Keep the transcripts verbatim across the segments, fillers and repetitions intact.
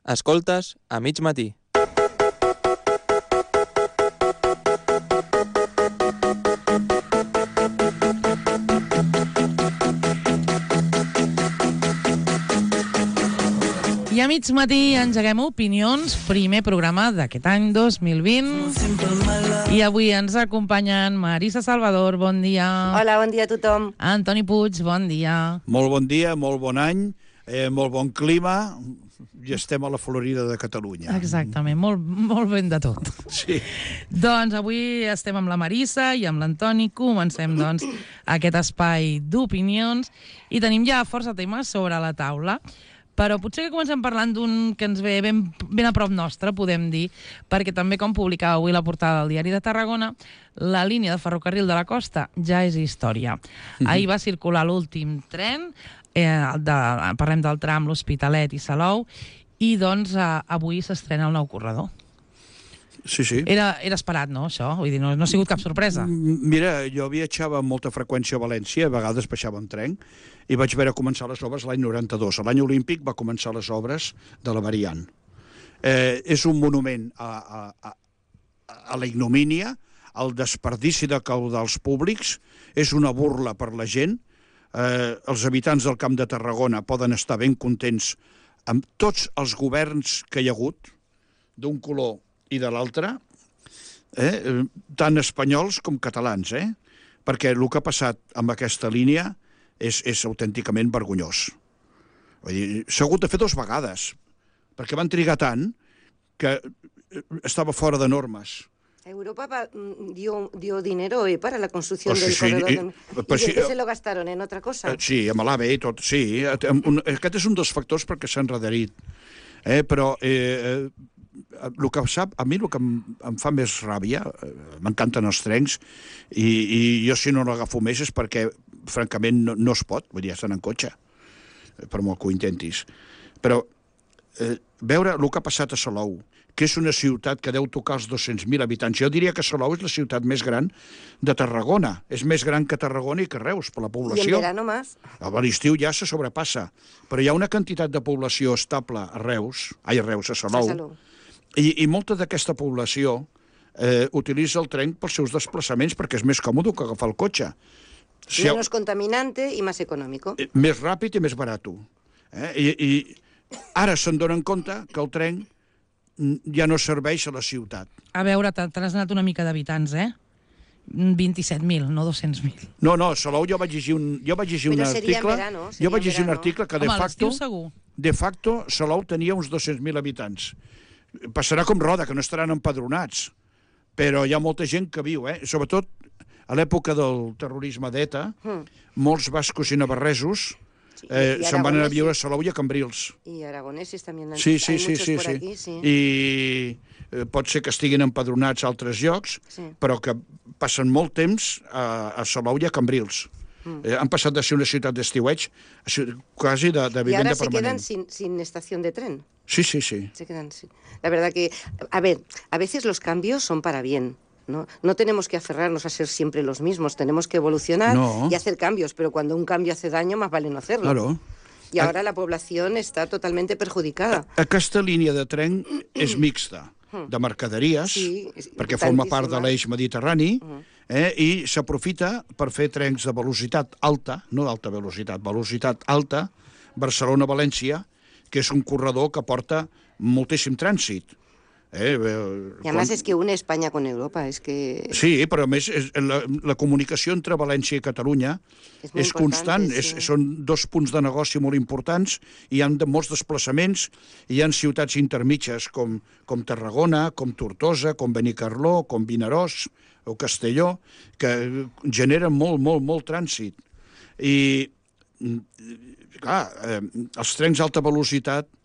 Escoltes a mig matí. I a mig matí engeguem Opinions, primer programa d'aquest any dos mil vint. I avui ens acompanyen Marisa Salvador, bon dia. Hola, bon dia a tothom. Antoni Puig, bon dia. Molt bon dia, molt bon any, eh, molt bon clima, i estem a la Florida de Catalunya. Exactament, molt, molt ben de tot. Sí. Doncs avui estem amb la Marisa i amb l'Antoni. Comencem, doncs, aquest espai d'opinions i tenim ja força temes sobre la taula. Però potser que comencem parlant d'un que ens ve ben, ben a prop nostre, podem dir, perquè també, com publicava avui la portada del Diari de Tarragona, la línia de ferrocarril de la costa ja és història. Mm-hmm. Ahir va circular l'últim tren, eh, de, parlem del tram l'Hospitalet i Salou, i doncs eh, avui s'estrena el nou corredor. Sí, sí. Era, era esperat, no, això? Vull dir, no, no ha sigut cap sorpresa. Mira, jo viatjava amb molta freqüència a València, a vegades baixava en tren, i vaig veure començar les obres l'any noranta-dos. L'any olímpic va començar les obres de la variant. Eh, és un monument a, a, a, a la ignomínia, al desperdici de caudals públics, és una burla per la gent. Eh, els habitants del Camp de Tarragona poden estar ben contents amb tots els governs que hi ha hagut, d'un color i de l'altre, eh, tant espanyols com catalans, eh? Perquè el que ha passat amb aquesta línia és, és autènticament vergonyós. Vull dir, s'ha hagut de fer dues vegades, perquè van trigar tant que estava fora de normes. Europa va, dio, dio dinero eh, para la construcción oh, sí, del sí, corredor i, de... i, y sí, después se lo gastaron en otra cosa. Sí, amb l'AVE i tot, sí. Un, aquest és un dels factors perquè s'ha enrederit. Eh, però eh, el que sap, a mi el que em, em fa més ràbia, eh, m'encanten els trens, i, i jo si no l'agafo més és perquè, francament, no, no es pot, vull dir, estan en cotxe, per molt que ho intentis. Però eh, veure el que ha passat a Salou, que és una ciutat que deu tocar els dos-cents mil habitants. Jo diria que Salou és la ciutat més gran de Tarragona. És més gran que Tarragona i que Reus, per la població. I en verano més. A l'estiu ja se sobrepassa. Però hi ha una quantitat de població estable a Reus, ai, a Reus, a Salou, A Salou. i, i molta d'aquesta població eh, utilitza el tren pels seus desplaçaments perquè és més còmode que agafar el cotxe. Si Menos ha... contaminante i més econòmic. Eh, més ràpid i més barat. Eh? I, I ara se'n donen compte que el tren ja no serveix a la ciutat. A veure, t'has anat una mica d'habitants, eh? vint-i-set mil, no dos-cents mil. No, no, Salou jo vaig llegir un, jo vaig llegir un article... Verano, jo vaig llegir un article que de Home, facto... segur. De facto, Salou tenia uns dos-cents mil habitants. Passarà com Roda, que no estaran empadronats. Però hi ha molta gent que viu, eh? Sobretot a l'època del terrorisme d'ETA, mm. molts bascos i navarresos eh, se'n van anar a viure a Salou i a Cambrils. I aragonesos també. Sí, sí, sí, sí, por sí. aquí, sí. I eh, pot ser que estiguin empadronats a altres llocs, sí. però que passen molt temps a, a Salou i a Cambrils. Mm. Eh, han passat de ser una ciutat d'estiueig a ser quasi de, de vivenda permanent. I ara se quedan sin, sin estación de tren. Sí, sí, sí. Se quedan sin... La verdad que, a ver, a veces los cambios son para bien. ¿No? No tenemos que aferrarnos a ser siempre los mismos, tenemos que evolucionar no. y hacer cambios, pero cuando un cambio hace daño, más vale no hacerlo. Claro. Y ahora a... la población está totalmente perjudicada. Aquesta línia de tren és mixta, de mercaderies, sí, perquè forma part de l'eix mediterrani, eh, i s'aprofita per fer trens de velocitat alta, no d'alta velocitat, velocitat alta, Barcelona-València, que és un corredor que porta moltíssim trànsit. Eh, y además quan... es que une España con Europa, es que... Sí, però a més és, la, la comunicació entre València i Catalunya és, és constant, sí. és, són dos punts de negoci molt importants, hi ha de molts desplaçaments, hi ha ciutats intermitges com, com Tarragona, com Tortosa, com Benicarló, com Vinaròs o Castelló, que generen molt, molt, molt trànsit. I, clar, eh, els trens d'alta velocitat,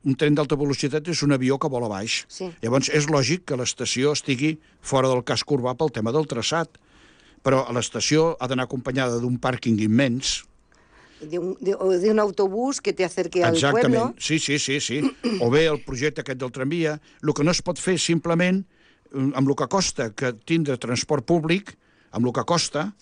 un tren d'alta velocitat és un avió que vola baix. Sí. Llavors, és lògic que l'estació estigui fora del casc urbà pel tema del traçat, però l'estació ha d'anar acompanyada d'un pàrquing immens. De un, de, o d'un autobús que te acerque al Exactament. pueblo. Sí, sí, sí, sí. O bé el projecte aquest del tramvia. El que no es pot fer simplement, amb el que costa que tindre transport públic, amb el que costa,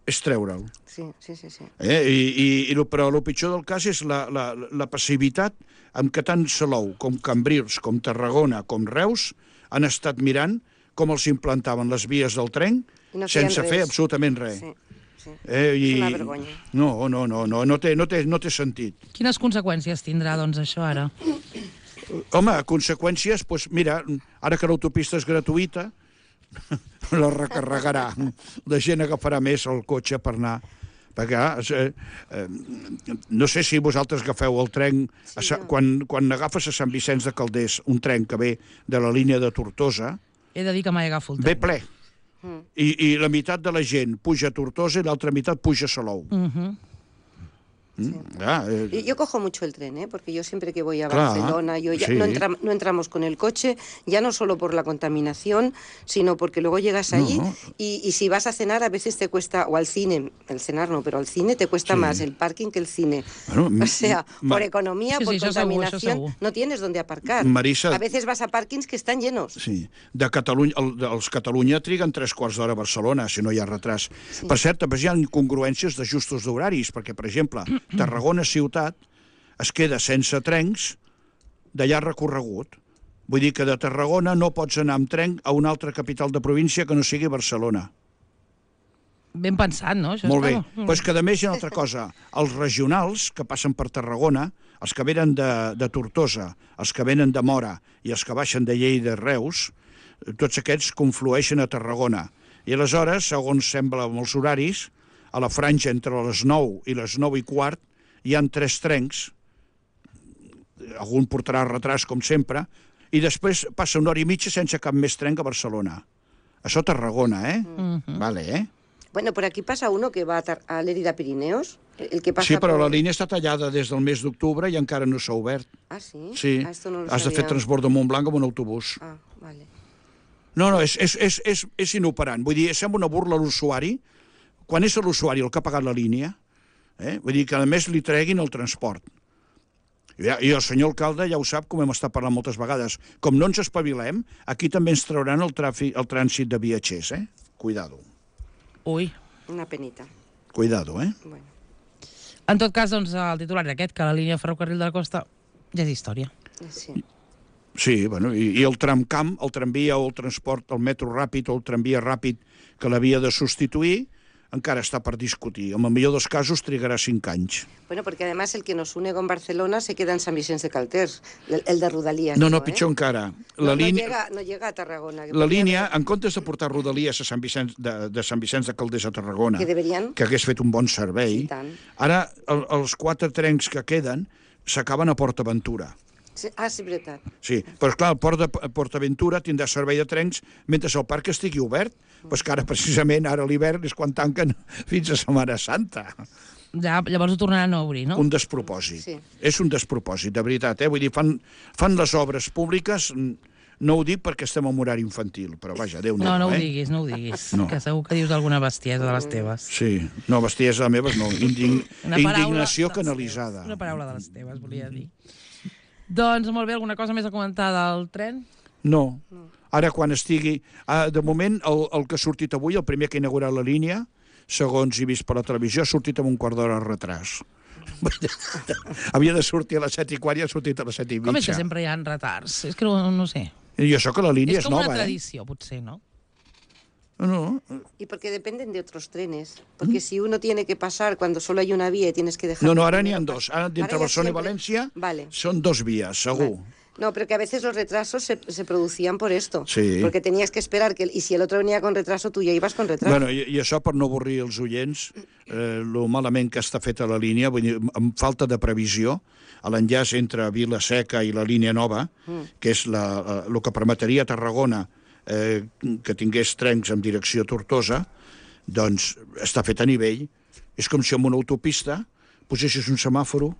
és treure'l. Sí, sí, sí. sí. Eh? I, i, i, però el pitjor del cas és la, la, la passivitat amb què tant Salou com Cambrils, com Tarragona, com Reus han estat mirant com els implantaven les vies del tren no sense res. fer absolutament res. Sí, sí. Eh, i... És una vergonya. No, no, no, no, no té, no té, no té sentit. Quines conseqüències tindrà, doncs, això ara? Home, conseqüències, doncs mira, ara que l'autopista és gratuïta, la recarregarà. La gent agafarà més el cotxe per anar. Perquè, eh, eh, no sé si vosaltres agafeu el tren, sí, a Sa no. quan, quan agafes a Sant Vicenç de Calders, un tren que ve de la línia de Tortosa, he de dir que mai agafo el tren. ve ple. Mm. I, I la meitat de la gent puja a Tortosa i l'altra meitat puja a Salou. Mhm. Uh-huh. Sí. Ah, eh. yo, yo cojo mucho el tren, ¿eh? Porque yo siempre que voy a Claro, Barcelona, yo ya sí. no, entra, no entramos con el coche, ya no solo por la contaminación, sino porque luego llegas allí no. y, y si vas a cenar a veces te cuesta, o al cine, el cenar no, pero al cine te cuesta sí. más el parking que el cine. Bueno, o sea, por economía, sí, por sí, contaminación, segur, segur. no tienes donde aparcar. Marisa, a veces vas a parkings que están llenos. Sí, de Catalunya, el, els Catalunya triguen tres quarts d'hora a Barcelona, si no hi ha retras. Sí. Per cert, també hi ha incongruències d'ajustos d'horaris, perquè, per exemple, Tarragona ciutat es queda sense trens de llarg recorregut. Vull dir que de Tarragona no pots anar amb tren a una altra capital de província que no sigui Barcelona. Ben pensat, no? Això Molt bé. està... Però és que, a més, hi ha una altra cosa. Els regionals que passen per Tarragona, els que venen de, de Tortosa, els que venen de Mora i els que baixen de Lleida i Reus, tots aquests conflueixen a Tarragona. I aleshores, segons sembla amb els horaris, a la franja entre les nou i les nou i quart hi han tres trens, algun portarà retras, com sempre, i després passa una hora i mitja sense cap més tren que a Barcelona. Això a Tarragona, eh? Mm-hmm. Vale, eh? Bueno, por aquí pasa uno que va a, a Lérida Pirineos, el que pasa Sí, però por... la línia està tallada des del mes d'octubre i encara no s'ha obert. Ah, sí? Sí, ah, esto no lo has de fer sabía. transbord de Montblanc amb un autobús. Ah, vale. No, no, és, és, és, és, és inoperant. Vull dir, sembla una burla a l'usuari, quan és l'usuari el que ha pagat la línia. Eh? Vull dir que, a més, li treguin el transport. I, I el senyor alcalde ja ho sap, com hem estat parlant moltes vegades. Com no ens espavilem, aquí també ens trauran el, tràfic, el trànsit de viatgers, eh? Cuidado. Ui. Una penita. Cuidado, eh? Bueno. En tot cas, doncs, el titular aquest, que la línia ferrocarril de la costa ja és història. Sí. Sí, bueno, i, i el tramcamp, el tramvia o el transport, el metro ràpid o el tramvia ràpid que l'havia de substituir, encara està per discutir. En el millor dels casos trigarà cinc anys. Bueno, porque además el que nos une con Barcelona se queda en San Vicente de Calders, el, el de Rodalías. No, no, ¿eh? pitjor encara. La La no, línia... no, llega, no llega a Tarragona. La línia, en comptes de portar Rodalies a Sant Vicenç de, de Sant Vicenç de Calders a Tarragona, que, deberien... que hagués fet un bon servei, sí, ara el, els quatre trens que queden s'acaben a PortAventura. Sí, ah, sí, veritat. Sí, però clar, el Port de PortAventura tindrà servei de trens mentre el parc estigui obert. Pues que ara, precisament, ara a l'hivern és quan tanquen fins a Setmana Santa. Ja, llavors ho tornaran a obrir, no? Un despropòsit. Sí. És un despropòsit, de veritat. Eh? Vull dir, fan, fan les obres públiques, no ho dic perquè estem en horari infantil, però vaja, Déu-n'hi-do. No, no ho eh? diguis, no ho diguis, No. que segur que dius alguna bestiesa de les teves. Sí, no, bestiesa meves no, Indign... Una paraula indignació de les canalitzada. teves, Una paraula de les teves, volia dir. Doncs molt bé, alguna cosa més a comentar del tren? No. Ara, quan estigui... Ah, de moment, el, el que ha sortit avui, el primer que ha inaugurat la línia, segons he vist per la televisió, ha sortit amb un quart d'hora de retras. Havia de sortir a les set i quart i ha sortit a les set i mitja. Com és que sempre hi ha retards? És que no, no sé. I això que la línia és, és com nova, una eh? tradició, potser, no? No. Y porque dependen de otros trenes. Porque si uno tiene que pasar cuando solo hay una vía y tienes que dejar... No, no, ara n'hi ha dos. Ara, d'entre Ahora ya Barcelona i siempre- València, Vale. són dos vies, segur. Vale. No, pero que a veces los retrasos se, se producían por esto. Sí. Porque tenías que esperar que... Y si el otro venía con retraso, tú ya ibas con retraso. Bueno, i, i això per no avorrir els oients, eh, lo malament que està feta la línia, vull dir, amb falta de previsió, a l'enllaç entre Vila-seca i la línia nova, mm. que és la, la, el que permetria a Tarragona eh, que tingués trens en direcció a Tortosa, doncs està fet a nivell. És com si en una autopista posessis un semàforo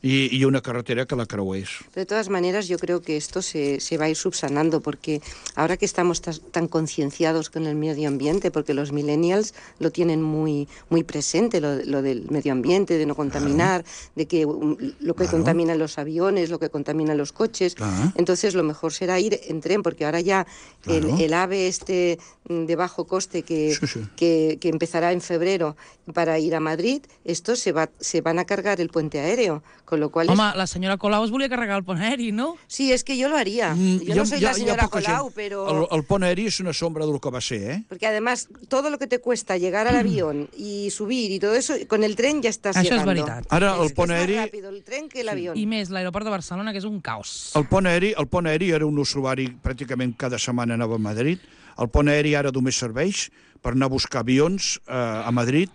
y, y una carretera que la creués. De todas maneras, yo creo que esto se, se va a ir subsanando, porque ahora que estamos tas, tan concienciados con el medio ambiente, porque los millennials lo tienen muy, muy presente, lo, lo del medio ambiente, de no contaminar, claro. de que um, lo que claro. contaminan los aviones, lo que contaminan los coches, claro. entonces lo mejor será ir en tren, porque ahora ya claro. el, el AVE este de bajo coste que, sí, sí. que, que empezará en febrero para ir a Madrid, esto se, va, se van a cargar el puente aéreo, con lo cual... Home, es... la senyora Colau es volia carregar el pont aeri, no? Sí, es que yo lo haría. Mm, yo ja, no soy ja, la señora Colau, gent. pero... El, el pont aeri es una sombra de lo que va ser, ¿eh? Porque además, todo lo que te cuesta llegar al avión y subir y todo eso, con el tren ya estás Això llegando. és veritat. Ara, el el pont aeri... És més ràpid el tren que l'avió. I més, l'aeroport de Barcelona, que és un caos. El pont aeri, el pont aeri era un usuari, pràcticament cada setmana anava a Madrid. El pont aeri ara només serveix per anar a buscar avions eh, a Madrid,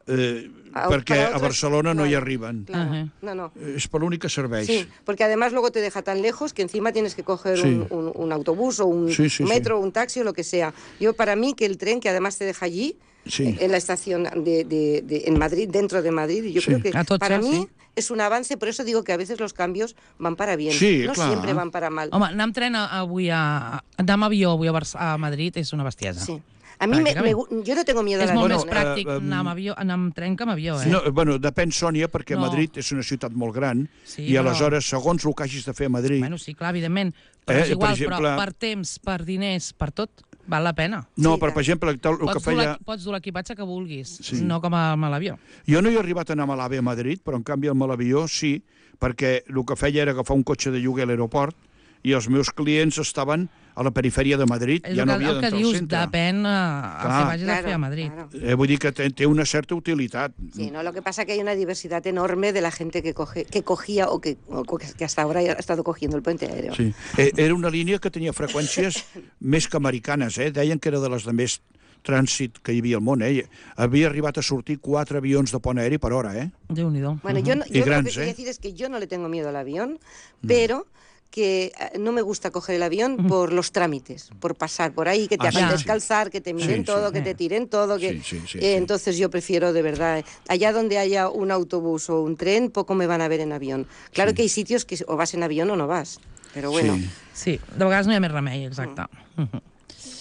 eh, perquè a Barcelona no hi arriben. Claro. Uh-huh. No, no. Es por l'únic que serveix. Sí, porque además luego te deja tan lejos que encima tienes que coger sí. un, un, un autobús o un sí, sí, metro o sí. un taxi o lo que sea. Yo, para mí, que el tren, que además te deja allí, sí. en la estación de, de, de, en Madrid, dentro de Madrid, yo sí. creo que tots, para sí. mí es un avance, por eso digo que a veces los cambios van para bien, sí, no clar. siempre van para mal. Home, anar amb tren avui a... anar amb avió avui a, Bar a Madrid és una bestiesa. Sí. A mí me, me, yo no tengo miedo a la l'avió. És molt bueno, més pràctic uh, um, anar, amb avió, anar amb tren que amb avió, eh? No, bueno, depèn, Sònia, perquè no. Madrid és una ciutat molt gran sí, i aleshores, però... segons el que hagis de fer a Madrid... Bueno, sí, clar, evidentment, però eh, és igual, per exemple... però per temps, per diners, per tot, val la pena. No, sí, però, per exemple, el pots que feia... Pots dur l'equipatge que vulguis, sí. no com a, a l'avió. Jo no he arribat a anar amb l'AVE a Madrid, però en canvi amb l'avió sí, perquè el que feia era agafar un cotxe de lloguer a l'aeroport i els meus clients estaven a la perifèria de Madrid, és ja no havia d'entrar al dius, centre. Depèn a, a que vagis claro, a fer a Madrid. Claro. Eh, vull dir que té, té una certa utilitat. Sí, no, lo que pasa es que hay una diversidad enorme de la gente que, coge, que cogía o que, o que hasta ahora ha estado cogiendo el puente aéreo. Sí. Eh, era una línia que tenia freqüències més que americanes, eh? Deien que era de les de més trànsit que hi havia al món, eh? Havia arribat a sortir quatre avions de pont aeri per hora, eh? Déu-n'hi-do. Bueno, yo, no, yo grans, lo que quería eh? decir es que yo no le tengo miedo al avión, pero... que no me gusta coger el avión uh-huh. por los trámites, por pasar por ahí, que te ah, hagan sí, descalzar, sí. que te miren sí, todo, sí. que te tiren todo. Que... Sí, sí, sí, eh, entonces sí. yo prefiero, de verdad, allá donde haya un autobús o un tren, poco me van a ver en avión. Claro sí. que hay sitios que o vas en avión o no vas, però bueno. Sí, sí. De vegades no hi ha més remei, exacte. Uh. Uh-huh.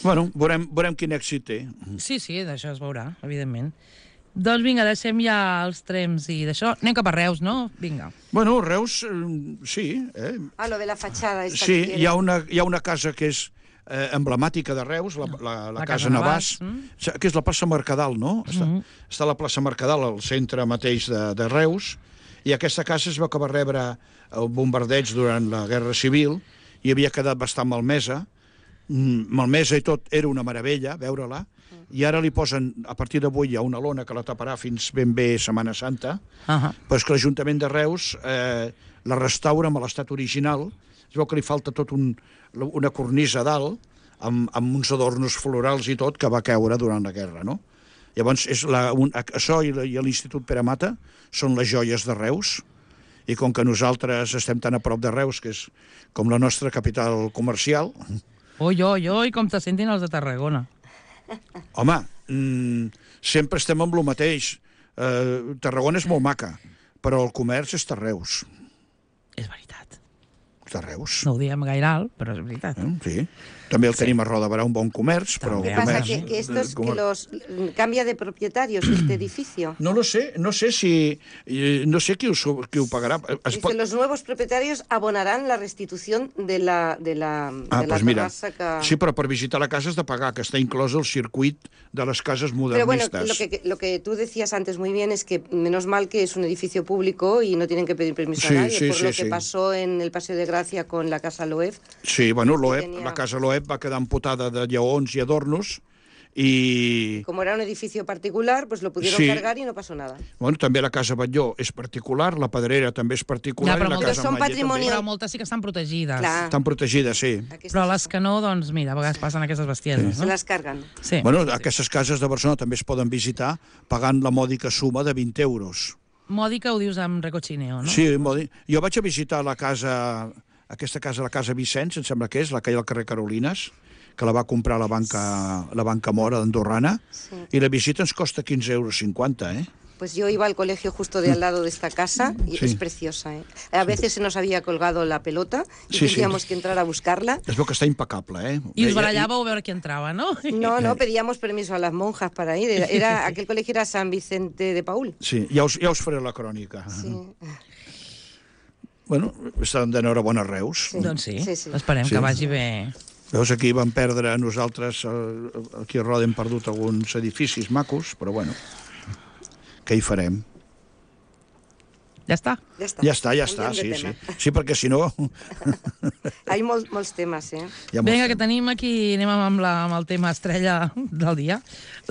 Bueno, veurem, veurem quin èxit té. Sí, sí, d'això es veurà, evidentment. Doncs vinga, deixem ja els trens i d'això. Anem cap a Reus, no? Vinga. Bueno, Reus, sí. Eh? Ah, lo de la fachada. Esta sí, hi ha, una, hi ha una casa que és eh, emblemàtica de Reus, la, la, la, la casa, casa Navàs, mm? que és la plaça Mercadal, no? Mm-hmm. Està, està a la plaça Mercadal, al centre mateix de, de Reus, i aquesta casa es veu que va rebre el bombardeig durant la Guerra Civil i havia quedat bastant malmesa. Malmesa i tot, era una meravella veure-la, i ara li posen, a partir d'avui hi ha una lona que la taparà fins ben bé Setmana Santa, uh-huh. però és que l'Ajuntament de Reus eh, la restaura amb l'estat original. Es veu que li falta tot un, una cornisa a dalt, amb, amb uns adornos florals i tot, que va caure durant la guerra, no? Llavors, és la, un, això i l'Institut Pere Mata són les joies de Reus, i com que nosaltres estem tan a prop de Reus, que és com la nostra capital comercial... Oi, oi, oi, com te sentin els de Tarragona. Home, mmm, sempre estem amb el mateix. Uh, Tarragona és molt maca, però el comerç és de Reus. És veritat. De Reus. No ho diem gaire alt, però és veritat. Eh, sí. També el sí. tenim a Roda de Barà, un bon comerç, però... ¿Qué el pasa? comerç... ¿Que, que esto es que los cambia de propietarios este edificio? No lo sé, no sé si... No sé qui ho, qui ho pagarà. Es Dice, los nuevos propietarios abonarán la restitución de la, de la, ah, de la pues mira, terrassa que... Sí, però per visitar la casa has de pagar, que està inclòs el circuit de les cases modernistes. Pero bueno, lo que, lo que tú decías antes muy bien es que menos mal que es un edificio público y no tienen que pedir permiso sí, a nadie, sí, por sí, lo que sí. pasó en el Paseo de Gracia con la Casa Loeb. Sí, bueno, Loeb, tenía... la casa Loeb va quedar amputada de lleons i adornos i... Como era un edificio particular, pues lo pudieron sí. cargar y no pasó nada. Bueno, també la Casa Batlló és particular, la Pedrera també és particular, ja, i la Casa són patrimoni... Però moltes sí que estan protegides. Clar. Estan protegides, sí. Aquestes... Però les que no, doncs mira, a vegades passen aquestes bestieses. Sí. No? Se les carguen. Sí. Bueno, aquestes cases de Barcelona també es poden visitar pagant la mòdica suma de vint euros. Mòdica ho dius amb recochineo, no? Sí, mòdic. Jo vaig a visitar la casa, aquesta casa, la Casa Vicenç, em sembla que és, la que hi ha al carrer Carolines, que la va comprar la banca, la banca Mora d'Andorrana, sí. I la visita ens costa quinze euros cinquanta, eh? Pues yo iba al colegio justo de al lado de esta casa y Sí. es preciosa, ¿eh? A veces se nos había colgado la pelota y Sí, sí. tendríamos que entrar a buscarla. Es veu que està impecable, eh? I us Veia- barallàveu a veure qui entrava, no? No, no, pedíamos permiso a las monjas para ir. Era, era- aquel colegio era San Vicente de Paúl. Sí, ja us, ja us faré la crònica. Sí. Bueno, estan d'enhorabona a Reus. Sí. Doncs sí, Sí, sí. esperem Sí. que vagi bé. Veus, aquí vam perdre nosaltres, eh, aquí a Roda hem perdut alguns edificis macos, però bueno, què hi farem? Ja està. Ja està. Ja està, ja està, Canviem sí, de sí. tema. Sí, perquè si no... Hay molts, molts temes, eh? Ja Vinga, que tenim aquí, anem amb, la, amb el tema estrella del dia,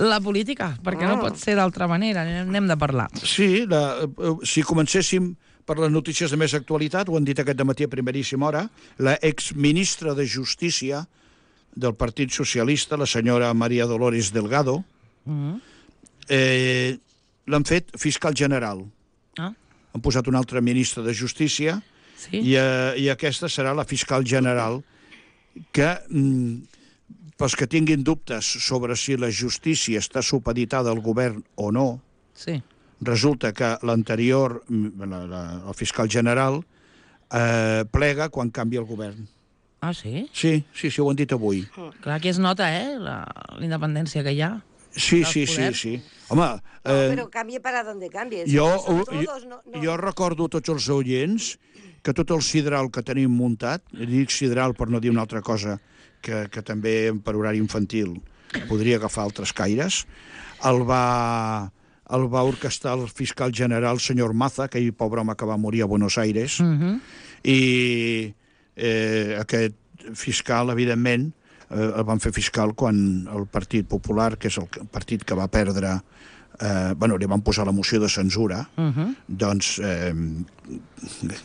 la política, perquè Ah. no pot ser d'altra manera, n'hem de parlar. Sí, la, eh, si comencéssim per les notícies de més actualitat, ho han dit aquest dematí a primeríssima hora, la exministra de Justícia del Partit Socialista, la senyora María Dolores Delgado, Mm. eh, l'han fet fiscal general. Ah, Han posat un altre ministre de Justícia sí? i, eh, i aquesta serà la fiscal general que, mm, pels que tinguin dubtes sobre si la justícia està supeditada al govern o no, Sí. resulta que l'anterior, la, la, el fiscal general, eh, plega quan canvia el govern. Ah, sí? Sí, sí, sí, ho han dit avui. Clar, aquí es nota, eh, la, la independència que hi ha. Sí, Dels sí, sí, poders. sí. Home, No, eh, pero cambie para donde cambie. jo, Son jo, todos, no, no. jo recordo a tots els oients que tot el sidral que tenim muntat, dic sidral per no dir una altra cosa, que, que també per horari infantil podria agafar altres caires, el va, el va orquestar el fiscal general, senyor Maza, aquell pobre home que va morir a Buenos Aires, Mm -hmm. i eh, aquest fiscal, evidentment, eh, el van fer fiscal quan el Partit Popular, que és el partit que va perdre, eh, bueno, li van posar la moció de censura, Mm -hmm. doncs eh,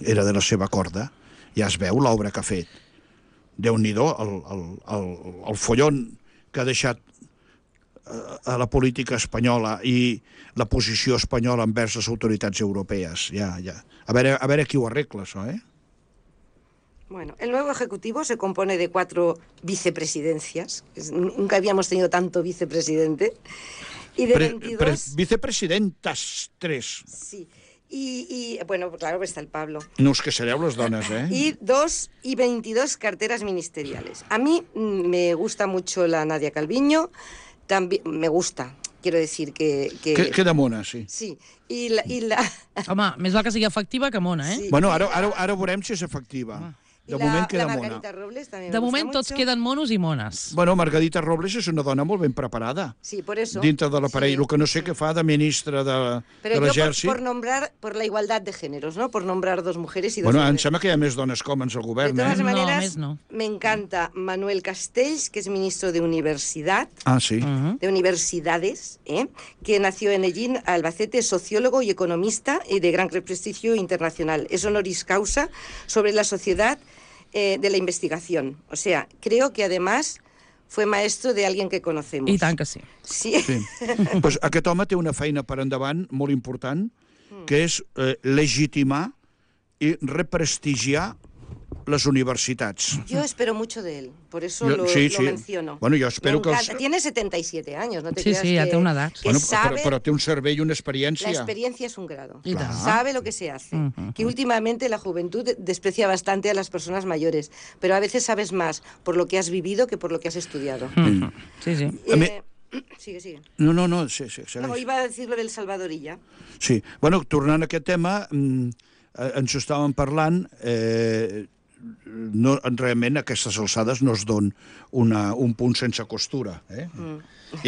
era de la seva corda. Ja es veu l'obra que ha fet. Déu-n'hi-do, el, el, el, el follon que ha deixat a la política espanyola i la posició espanyola envers les autoritats europees. Ja, ja. A veure, a veure qui ho arregla, això, eh? Bueno, el nuevo Ejecutivo se compone de cuatro vicepresidencias. Es- Nunca habíamos tenido tanto vicepresidente. Y de Pre, veintidós... pre, vicepresidentas, tres. Sí. Y, y, bueno, claro, está el Pablo. No us que sereu les dones, eh? Y dos y veintidós carteras ministeriales. A mí mm, me gusta mucho la Nadia Calviño. También me gusta, quiero decir que... que... Que, queda mona, sí. Sí. Y la... Y la... Home, més val que sigui efectiva que mona, eh? Sí. Bueno, ara, ara, ara veurem si és efectiva. De y la, moment queda la mona. Margarita Robles también De me gusta moment tots mucho. queden monos i mones. Bueno, Margarita Robles és una dona molt ben preparada. Sí, por eso. Dintre de l'aparell. Sí. El que no sé què fa de ministra de, Pero de yo por, l'exèrcit. por nombrar, por la igualdad de géneros, ¿no? Por nombrar dos mujeres y dos Bueno, em hombres. sembla que hi ha més dones com ens al De govern, todas eh? No, maneras, més no. me encanta Manuel Castells, que es ministro de Universidad, Ah, sí. Mm. de Universidades, ¿eh? que nació en Ellín, Albacete, es sociólogo y economista y de gran prestigio internacional. Es honoris causa sobre la sociedad eh, de la investigación. O sea, creo que además fue maestro de alguien que conocemos. I tant que sí. Sí. Sí. Pues aquest home té una feina per endavant molt important, que és eh, legitimar i represtigiar les universitats. Yo espero mucho de él, por eso Yo- lo, sí, lo sí. menciono. Bueno, yo espero Me que els- encanta. Tiene setenta y siete años, no te Sí, creas sí, ja que, té una edat. que Bueno, sabe... però, però té un cervell i una La experiència. experiencia es un grado. I tant. Sabe lo que se hace. Ujú. Que últimamente la juventud desprecia bastante a las personas mayores, pero a veces sabes más por lo que has vivido que por lo que has estudiado. Mm. Sí, sí. A mi- Eh, Sigue, sigue. No, no, no, sí, sí, segueix. No, iba a decir lo del Salvadorilla. Sí. Bueno, tornant a aquest tema, mm, eh, ens ho estàvem parlant, eh, no, realment a aquestes alçades no es don una, un punt sense costura. Eh? Mm.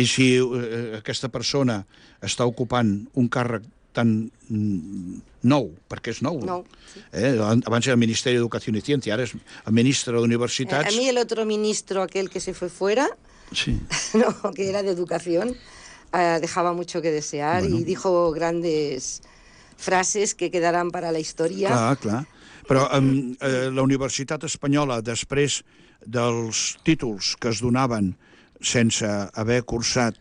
I si eh, aquesta persona està ocupant un càrrec tan mm, nou, perquè és nou. Nou, sí. Eh? Abans era el Ministeri d'Educació i Ciència, ara és el ministre Eh, a d'Universitats. mí el otro ministro, aquel que se fue fuera, Sí. no, que era de educación, eh, dejaba mucho que desear Bueno. y dijo grandes frases que quedarán para la historia. Clar, clar. Però um, eh, la Universitat Espanyola, després dels títols que es donaven sense haver cursat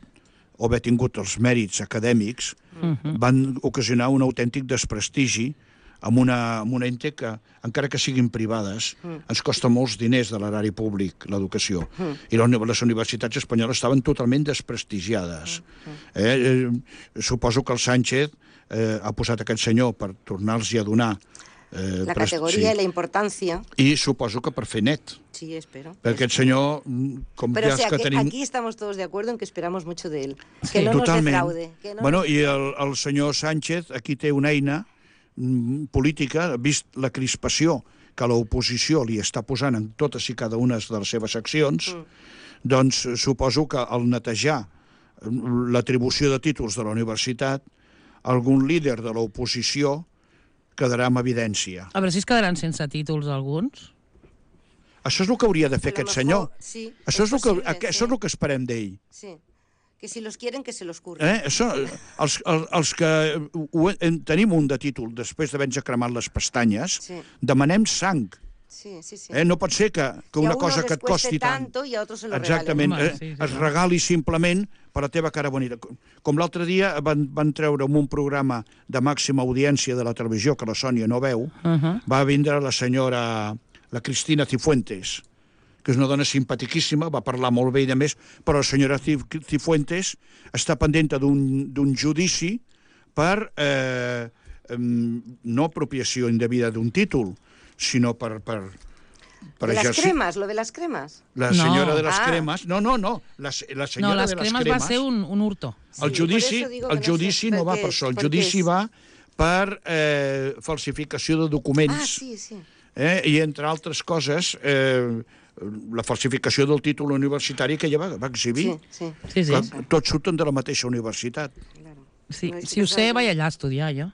o haver tingut els mèrits acadèmics, Mhm. van ocasionar un autèntic desprestigi amb una, amb una ente que, encara que siguin privades, ens costa molts diners de l'erari públic, l'educació. I la uni- les universitats espanyoles estaven totalment desprestigiades. Eh? Eh, suposo que el Sánchez eh, ha posat aquest senyor per tornar-los a donar Eh, la pres- categoria sí. i la importància. I suposo que per fer net. Sí, espero. Perquè aquest senyor, com Pero ja o sea, és que que tenim... aquí estamos todos de acuerdo en que esperamos mucho de él. Sí. Que no Totalment. nos defraude. Que no bueno, nos... I el, el senyor Sánchez aquí té una eina mm, política, vist la crispació que l'oposició li està posant en totes i cada una de les seves accions, mm. doncs suposo que al netejar l'atribució de títols de la universitat, algun líder de l'oposició quedarà amb evidència. A veure si es quedaran sense títols alguns. Això és el que hauria de fer A lo aquest mejor, senyor. sí, això, es és el que, posible, això sí. és el que esperem d'ell. Sí. Que si los quieren, que se los curren. Eh? Això, els, els, els que ho, en, tenim un de títol després d'haver-nos cremat les pestanyes, Sí. demanem sang. Sí, sí, sí. Eh? No pot ser que, que Que a una uno cosa les que et cueste costi tant... tanto y a otros se lo Exactament, regalen. eh? Home, sí, sí, es sí. regali simplement per la teva cara bonita. Com l'altre dia van, van treure un programa de màxima audiència de la televisió, que la Sònia no veu, Uh -huh. va vindre la senyora, la Cristina Cifuentes, que és una dona simpatiquíssima, va parlar molt bé i de més, però la senyora Cifuentes està pendent d'un judici per eh, no apropiació indevida d'un títol, sinó per... per per ¿De las exercir... cremas? ¿Lo de las cremas? La No. senyora de les Ah. cremes... No, no, no. La, la senyora No, les de les cremes va ser un, un hurto. El Sí, judici, por eso digo que el no judici sé no per va què per és, això. El per què judici és. va per eh, falsificació de documents. Ah, sí, sí. Eh? I, entre altres coses, eh, la falsificació del títol universitari que ella va, va exhibir. Sí, sí. Sí, sí. Que tots surten de la mateixa universitat. Claro. sí. No, és Si que ho sé, sabe- vaig allà a estudiar, jo.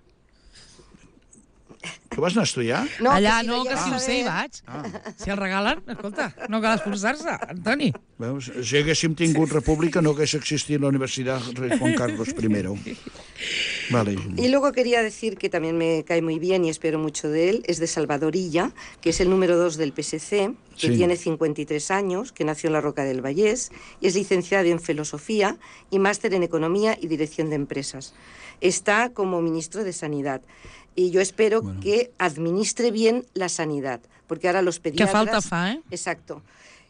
Tu vas anar a estudiar? No, allà que si no, lo que llegas si a ho sé hi ver- vaig. Si el regalen, escolta, no cal esforçar-se, Antoni. Veus? Si haguéssim tingut república no hagués existit la Universitat Rey Juan Carlos primero. Vale. Y luego quería decir que también me cae muy bien y espero mucho de él, es de Salvador Illa, que es el número dos del P S C, que Sí. tiene cincuenta y tres años, que nació en la Roca del Vallés, y es licenciado en Filosofía y máster en Economía y Dirección de Empresas. Está como ministro de Sanidad. Y yo espero Bueno. que administre bien la sanidad, porque ahora los Que pediatras... falta fa, eh? Exacto.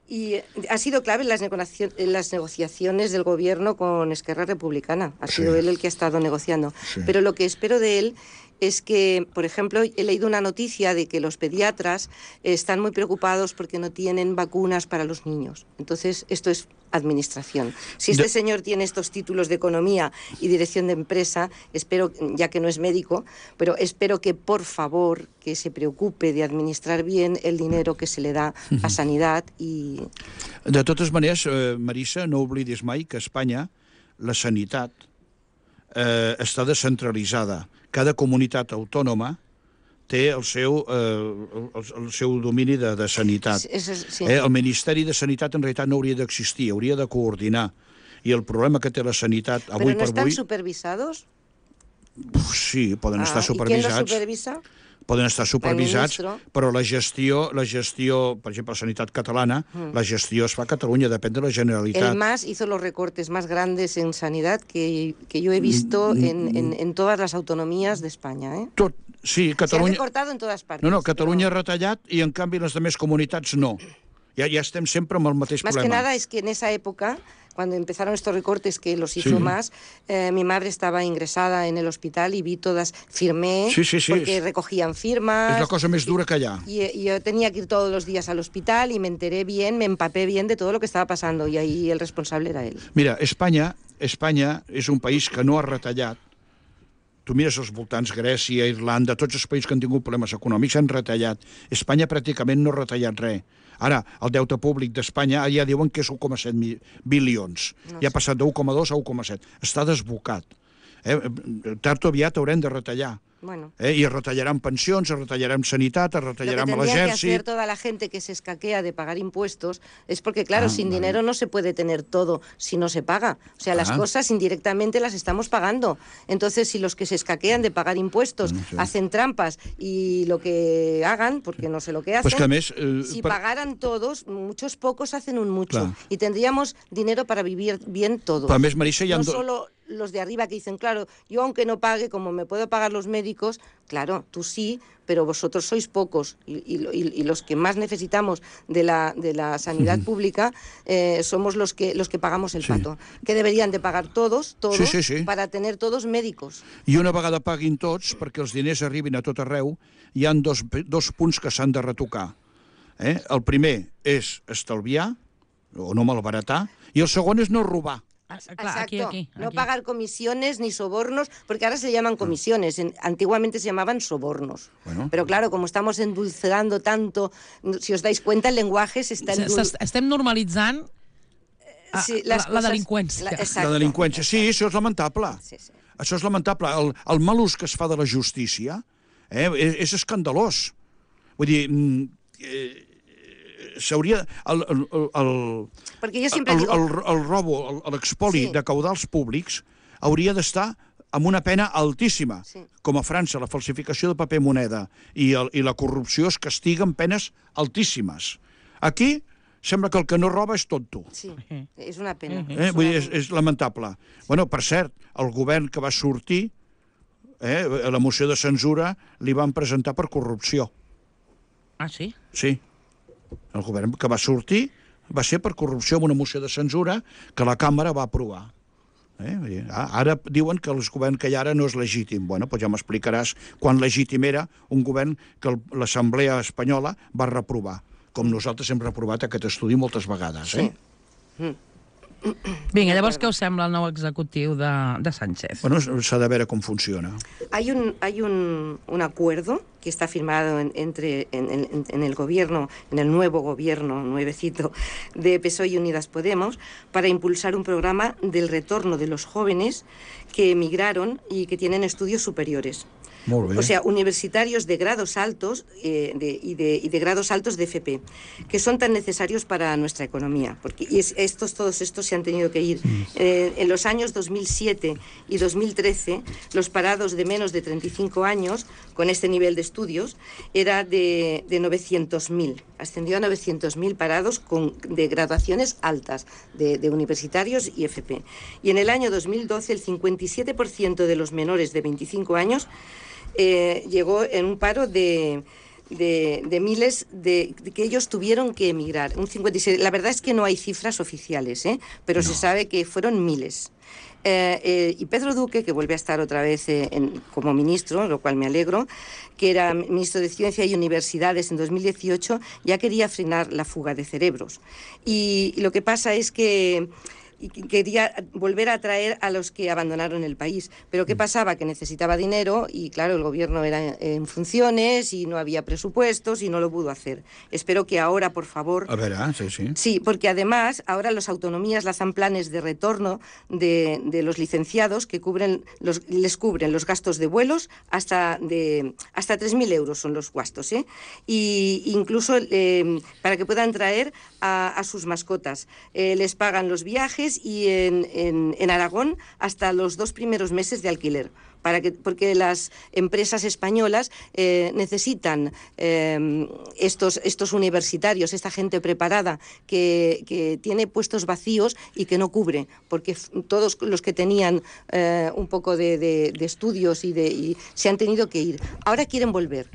Y eh, ha sido clave en las, negocio- en las negociaciones del gobierno con Esquerra Republicana. Ha sido Sí. él el que ha estado negociando. Sí. Pero lo que espero de él es que, por ejemplo, he leído una noticia de que los pediatras están muy preocupados porque no tienen vacunas para los niños. Entonces, esto es administración. Si este De- señor tiene estos títulos de economía y dirección de empresa, espero, ya que no es médico, pero espero que, por favor, que se preocupe de administrar bien el dinero que se le da a sanidad y... De totes maneres, eh, Marissa, no oblidis mai que a Espanya la sanitat eh, està descentralitzada. Cada comunitat autònoma té el seu, eh, el, el seu domini de, de sanitat. Eso es- sí. Eh, el Ministeri de Sanitat en realitat no hauria d'existir, hauria de coordinar. I el problema que té la sanitat avui ¿Pero no per están avui... supervisados? Uf, sí, poden estar Ah, ¿y quién los supervisats. supervisa? Poden estar supervisats, ministro. però la gestió, la gestió, per exemple, la sanitat catalana, la gestió es fa a Catalunya, depèn de la Generalitat. El M A S hizo los recortes más grandes en sanidad que, que yo he visto en, en, en todas las autonomías de España. ¿eh? Tot, sí, Se ha Catalunya... recortado en todas partes. No, no, Catalunya ha pero retallat i, en canvi, les altres comunitats no. Ja, ja estem sempre amb el mateix Más que problema. nada es que en esa época, cuando empezaron estos recortes que los hizo Sí. más, eh, mi madre estaba ingresada en el hospital y vi todas, firmé, Sí, sí, sí, porque es- recogían firmas. És la cosa més dura que hi ha. Y, y yo tenía que ir todos los días al hospital y me enteré bien, me empapé bien de todo lo que estaba pasando y ahí el responsable era él. Mira, Espanya, Espanya és un país que no ha retallat. Tu mires els voltants, Grècia, Irlanda, tots els països que han tingut problemes econòmics han retallat. Espanya pràcticament no ha retallat res. Ara, el deute públic d'Espanya ja diuen que és un coma set bilions. No Ja ha sé. passat de un coma dos a un coma set. Està desbocat. Eh? Tard o aviat haurem de retallar. Bueno. Eh? I es retallaran pensions, es retallaran sanitat, es Lo que retallaran a tendría que hacer l'exèrcit. toda la gente que se escaquea de pagar impuestos es porque, claro, Ah, sin vale. dinero no se puede tener todo si no se paga. O sea, las Ah. cosas indirectamente las estamos pagando. Entonces, si los que se escaquean de pagar impuestos No sé. hacen trampas y lo que hagan, porque no sé lo que hacen, Pues que a més... Eh, si per- pagaran todos, muchos pocos hacen un mucho. Clar. Y tendríamos dinero para vivir bien todos. Però a més, Marissa, hi ha... no do- solo los de arriba que dicen, claro, yo aunque no pague, como me puedo pagar los médicos, claro, tú sí, pero vosotros sois pocos y, y, y los que más necesitamos de la, de la sanidad pública eh, somos los que, los que pagamos el Sí. pato, que deberían de pagar todos, todos, Sí, sí, sí. para tener todos médicos. I una vegada paguin tots, perquè els diners arribin a tot arreu, hi han dos, dos punts que s'han de retocar. Eh? El primer és estalviar, o no malbaratar, i el segon és no robar. Ah, clar, aquí, aquí, No aquí. pagar comisiones ni sobornos, porque ahora se llaman comisiones, en- antiguamente se llamaban sobornos. Bueno. Pero claro, como estamos endulzando tanto, si os dais cuenta, el lenguaje se está S- endul... s'est- Estem normalitzant ah, Sí, la, les la coses- delinqüència. la- La exacto. delinqüència, sí, això és lamentable. Sí, sí. Això és lamentable. El, el mal ús que es fa de la justícia eh, és, és escandalós. Vull dir, mm, eh, s'hauria... El, el, el, el, Porque yo siempre el, digo... el, el robo, el- l'expoli Sí. de caudals públics hauria d'estar amb una pena altíssima. Sí. Com a França, la falsificació de paper moneda i, el, i la corrupció es castiguen penes altíssimes. Aquí sembla que el que no roba és tonto. Sí, es una pena. Eh? es Vull una dir, és, pena. és lamentable. Bueno, per cert, el govern que va sortir, eh, a la moció de censura, li van presentar per corrupció. Ah, sí? Sí. El govern que va sortir va ser per corrupció amb una moció de censura que la càmera va aprovar. Eh? Vull dir, ah, ara diuen que el govern que hi ha ara no és legítim. Bueno, doncs ja m'explicaràs quan legítim era un govern que el- l'Assemblea Espanyola va reprovar, com nosaltres hem reprovat aquest estudi moltes vegades. Eh? Sí. Vinga, llavors què us sembla el nou executiu de, de Sánchez? Bueno, s'ha de veure com funciona. Hay un, hay un, un acuerdo que está firmado en, entre, en, en- en el gobierno, en el nuevo gobierno, nuevecito, de P S O E y Unidas Podemos, para impulsar un programa del retorno de los jóvenes que emigraron y que tienen estudios superiores. Molt bé. O sea, universitarios de grados altos eh, de, y, de, y de grados altos de F P, que son tan necesarios para nuestra economía. Porque y es- estos, todos estos se han tenido que ir. Eh, en los años dos mil siete y dos mil trece, los parados de menos de treinta y cinco años, con este nivel de estudios, era de, de novecientos mil. Ascendió a novecientos mil parados con, de graduaciones altas, de, de universitarios y F P. Y en el año dos mil doce, el cincuenta y siete por ciento de los menores de veinticinco años eh, llegó en un paro de, de, de miles de, de que ellos tuvieron que emigrar. Un cincuenta y siete. La verdad es que no hay cifras oficiales, ¿eh? Pero se sabe que fueron miles. Eh, eh, y Pedro Duque, que vuelve a estar otra vez eh, en- como ministro, lo cual me alegro, que era ministro de Ciencia y Universidades en dos mil dieciocho, ya quería frenar la fuga de cerebros. Y, y lo que pasa es que y que quería volver a atraer a los que abandonaron el país. Pero ¿qué pasaba? Que necesitaba dinero y, claro, el gobierno era en funciones y no había presupuestos y no lo pudo hacer. Espero que ahora, por favor... A veure, sí, sí. Sí, porque además ahora las autonomías lanzan planes de retorno de, de los licenciados que cubren los, les cubren los gastos de vuelos hasta de hasta tres mil euros son los gastos, ¿eh? Y incluso eh, para que puedan traer a, a sus mascotas. Eh, les pagan los viajes y en, en, en Aragón hasta los dos primeros meses de alquiler. Para que, porque las empresas españolas eh, necesitan eh, estos, estos universitarios, esta gente preparada que, que tiene puestos vacíos y que no cubre, porque f- todos los que tenían eh, un poco de, de- de estudios y, de, y se han tenido que ir. Ahora quieren volver.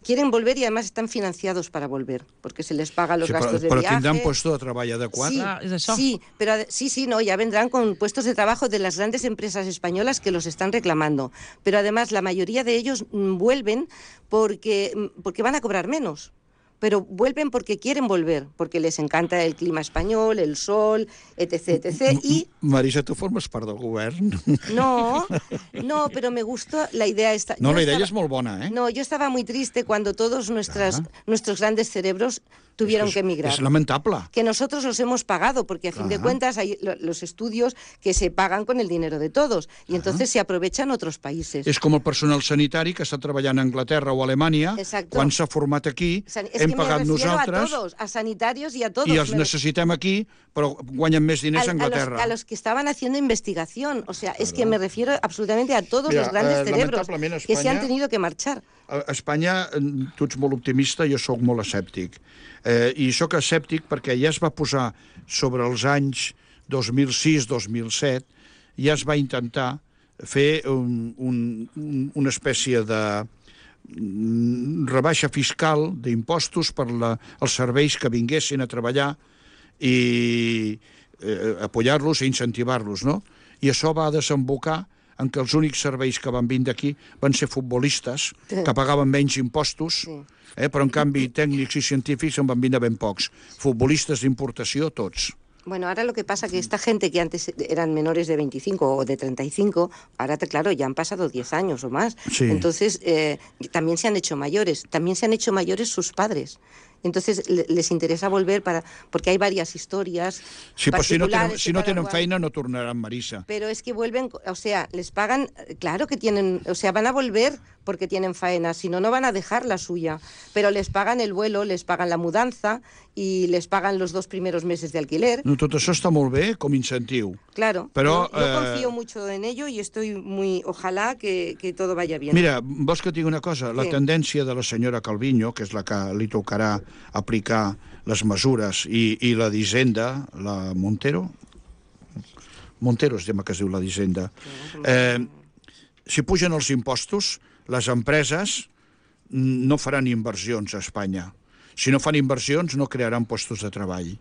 Quieren volver y además están financiados para volver, porque se les paga los Sí, però, gastos de però viaje. tindran puesto de treball adequat? Sí, Ah, és això. sí, pero ade- sí, sí, no, ya vendrán con puestos de trabajo de las grandes empresas españolas que los están reclamando. Pero además la mayoría de ellos mm, vuelven porque, mm, porque van a cobrar menos. Pero vuelven porque quieren volver, porque les encanta el clima español, el sol, etc, etcétera. Y Marisa, tu formes part del govern? no, no, pero me gustó la idea esta. No, Yo la idea estaba- és molt bona, eh? No, yo estaba muy triste cuando todos nuestras, Ajá. nuestros grandes cerebros tuvieron És que emigrar. És lamentable. Que nosotros los hemos pagado, porque a fin de Ajá. cuentas hay lo- los estudios que se pagan con el dinero de todos y entonces se aprovechan otros países. És com el personal sanitari que està treballant a Anglaterra o a Alemanya, Exacto. quan s'ha format aquí, San- es hem que me pagat refiero nosaltres a todos, a sanitarios y a todos. i els Me- necessitem aquí, però guanyen més diners a a, a los, Anglaterra. a los que estaban haciendo investigación. O sea, es que me refiero absolutamente a todos Mira, los grandes eh, cerebros lamentablement a que se han España- tenido que marchar. A Espanya, eh, tu ets molt optimista, jo sóc molt escèptic. Eh, I sóc escèptic perquè ja es va posar sobre els anys dos mil sis dos mil set ja es va intentar fer un, un, una espècie de rebaixa fiscal d'impostos per la, els serveis que vinguessin a treballar i eh, apoyar-los i incentivar-los, no? I això va desembocar en què els únics serveis que van vindre aquí van ser futbolistes, que pagaven menys impostos, eh, però en canvi tècnics i científics en van vindre ben pocs. Futbolistes d'importació, tots. Bueno, ahora lo que pasa que esta gente que antes eran menores de veinticinco o de treinta y cinco, ahora, claro, ya han pasado diez años o más. Sí. Entonces, eh, también se han hecho mayores. También se han hecho mayores sus padres. Entonces, le, les interesa volver para... Porque hay varias historias Sí, pues si no tenen, si no cada tenen cual. feina no tornaran, Marisa. Pero es que vuelven, o sea, les pagan, claro que tienen, o sea, van a volver porque tienen faena, si no, no van a dejar la suya, pero les pagan el vuelo, les pagan la mudanza y les pagan los dos primeros meses de alquiler. No, tot això està molt bé com incentiu. Claro, Però, yo, yo eh, confío mucho en ello y estoy muy, ojalá que, que todo vaya bien. Mira, vols que et digui una cosa? La Sí. tendència de la senyora Calviño, que és la que li tocarà aplicar les mesures, i, i la d'Hisenda, la Montero, Montero es tema que es diu la d'Hisenda, eh, si pugen els impostos, les empreses no faran inversions a Espanya. Si no fan inversions, no crearan puestos de treball.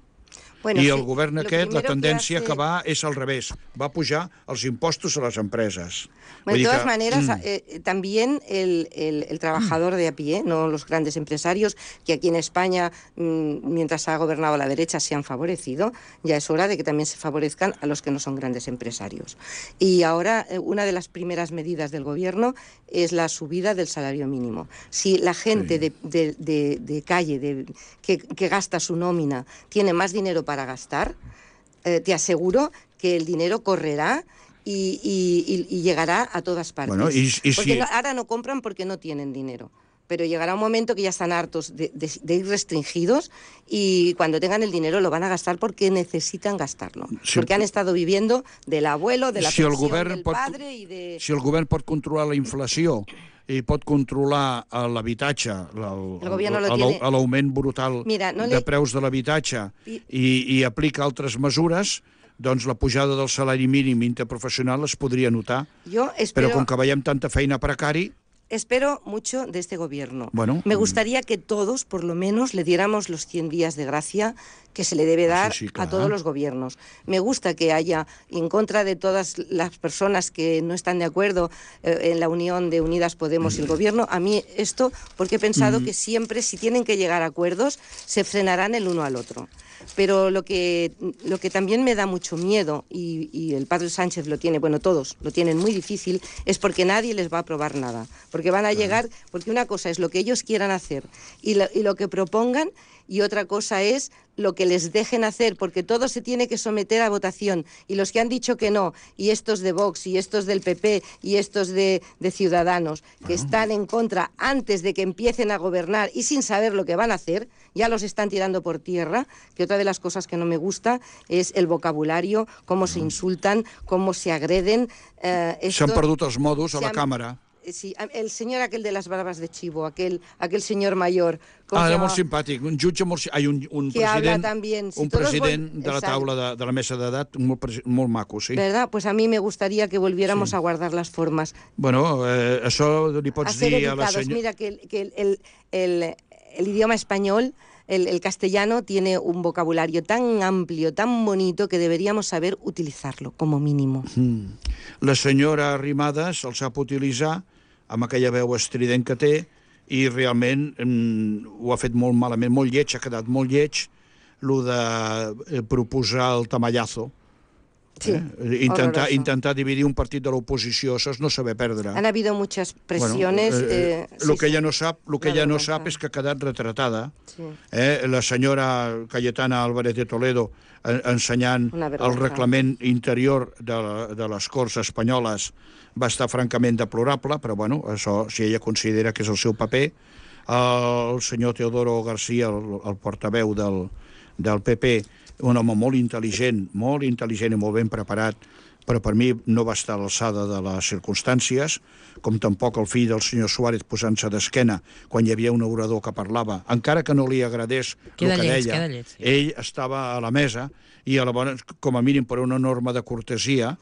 Bueno, I sí, el govern lo aquest, la primero que tendència que, hace- va és al revés. Va pujar els impostos a les empreses. Bueno, Vull de dir todas que, maneras, mm, eh, también el, el- el trabajador de a pie, no los grandes empresarios, que aquí en España, mm, mientras ha gobernado la derecha, se han favorecido, ya es hora de que también se favorezcan a los que no son grandes empresarios. Y ahora, eh, una de las primeras medidas del gobierno es la subida del salario mínimo. Si la gente de, de- de- de calle de, que, que gasta su nómina tiene más dinero para gastar, eh, te aseguro que el dinero correrá y, y- y- y llegará a todas partes. Bueno, y- y porque si- no- ahora no compran porque no tienen dinero. Pero llegará un momento que ya están hartos de, de- de ir restringidos y cuando tengan el dinero lo van a gastar porque necesitan gastarlo. Sí. Porque han estado viviendo del abuelo, de la Si el pensión govern del pot- padre y de... si el govern pot controlar la inflació i pot controlar eh, l'habitatge, el- El gobierno lo el- tiene- l'augment brutal Mira, no de le- preus de l'habitatge I- i, i aplica altres mesures, doncs la pujada del salari mínim interprofessional es podria notar. Yo Però espero... com que veiem tanta feina precari, Espero mucho de este gobierno. Bueno, Me mm. gustaría que todos, por lo menos, le diéramos los cien días de gracia que se le debe dar sí, a claro. todos los gobiernos. Me gusta que haya, en contra de todas las personas que no están de acuerdo eh, en la unión de Unidas Podemos y el gobierno, a mí esto, porque he pensado Mm. que siempre, si tienen que llegar a acuerdos, se frenarán el uno al otro. Pero lo que, lo que también me da mucho miedo, y, y el padre Sánchez lo tiene, bueno, todos lo tienen muy difícil, es porque nadie les va a aprobar nada. Porque van a llegar, porque una cosa es lo que ellos quieran hacer y lo, y lo que propongan, y otra cosa es lo que les dejen hacer, porque todo se tiene que someter a votación. Y los que han dicho que no, y estos de Vox, y estos del P P, y estos de, de Ciudadanos, que están en contra antes de que empiecen a gobernar y sin saber lo que van a hacer, ya los están tirando por tierra, que otra de las cosas que no me gusta es el vocabulario, cómo se insultan, cómo se agreden. Eh, s'han esto- perdut els modos a se la han- càmera. Sí, el señor aquel de las barbas de chivo, aquel, aquel señor mayor. ¿cómo Ah, se era llama? molt simpàtic, un jutge molt... si- Ai, un, un Que habla president, también. Si un todos president vol- de la Exacto. taula de, de la mesa d'edat molt, presi- molt maco, sí. ¿Verdad? Pues a mí me gustaría que volviéramos a guardar las formas. Bueno, eh, això li A pots ser dir a la educados. senyora... Mira que, el, que el, el, el- el idioma español, el, el castellano, tiene un vocabulario tan amplio, tan bonito, que deberíamos saber utilizarlo, como mínimo. Mm. La senyora Arrimadas el sap utilitzar amb aquella veu estrident que té i realment mm, ho ha fet molt malament, molt lleig, ha quedat molt lleig lo de eh, proposar el tamallazo. Sí, Eh? Intentar, horroroso. intentar dividir un partit de l'oposició, això és no saber perdre. Han habido muchas presiones. Bueno, eh, eh, lo sí, que sí. ella no sap, lo que Una ella no vergüenza. sap és que ha quedat retratada. Sí. Eh? La senyora Cayetana Álvarez de Toledo en, ensenyant Una el vergüenza. reglament interior de, la, de les Corts espanyoles va estar francament deplorable, però bueno, això, si ella considera que és el seu paper, el senyor Teodoro García, el, el portaveu del, del P P, un home molt intel·ligent, molt intel·ligent i molt ben preparat, però per mi no va estar a l'alçada de les circumstàncies, com tampoc el fill del senyor Suárez posant-se d'esquena quan hi havia un orador que parlava, encara que no li agradés Queda el que lleig, deia, queda lleig, sí. ell estava a la mesa i a la bona, com a mínim per una norma de cortesia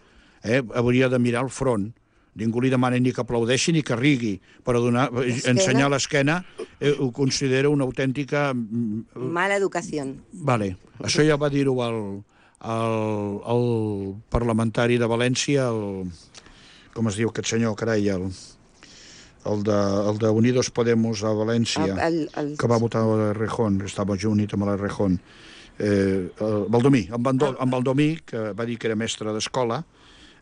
eh, hauria de mirar el front. Ningú li demana ni que aplaudeixi ni que rigui, però donar, ensenyar l'esquena eh, ho considero una autèntica... Mala educació. Vale. Això ja va dir-ho el, el, el parlamentari de València, el, com es diu aquest senyor, carai, el, el, de, el de Unidos Podemos a València, el, el, el... que va votar a Rejón, estava unit amb la Rejón. Eh, el Baldomí, en, Bando, en Baldomí, que va dir que era mestre d'escola,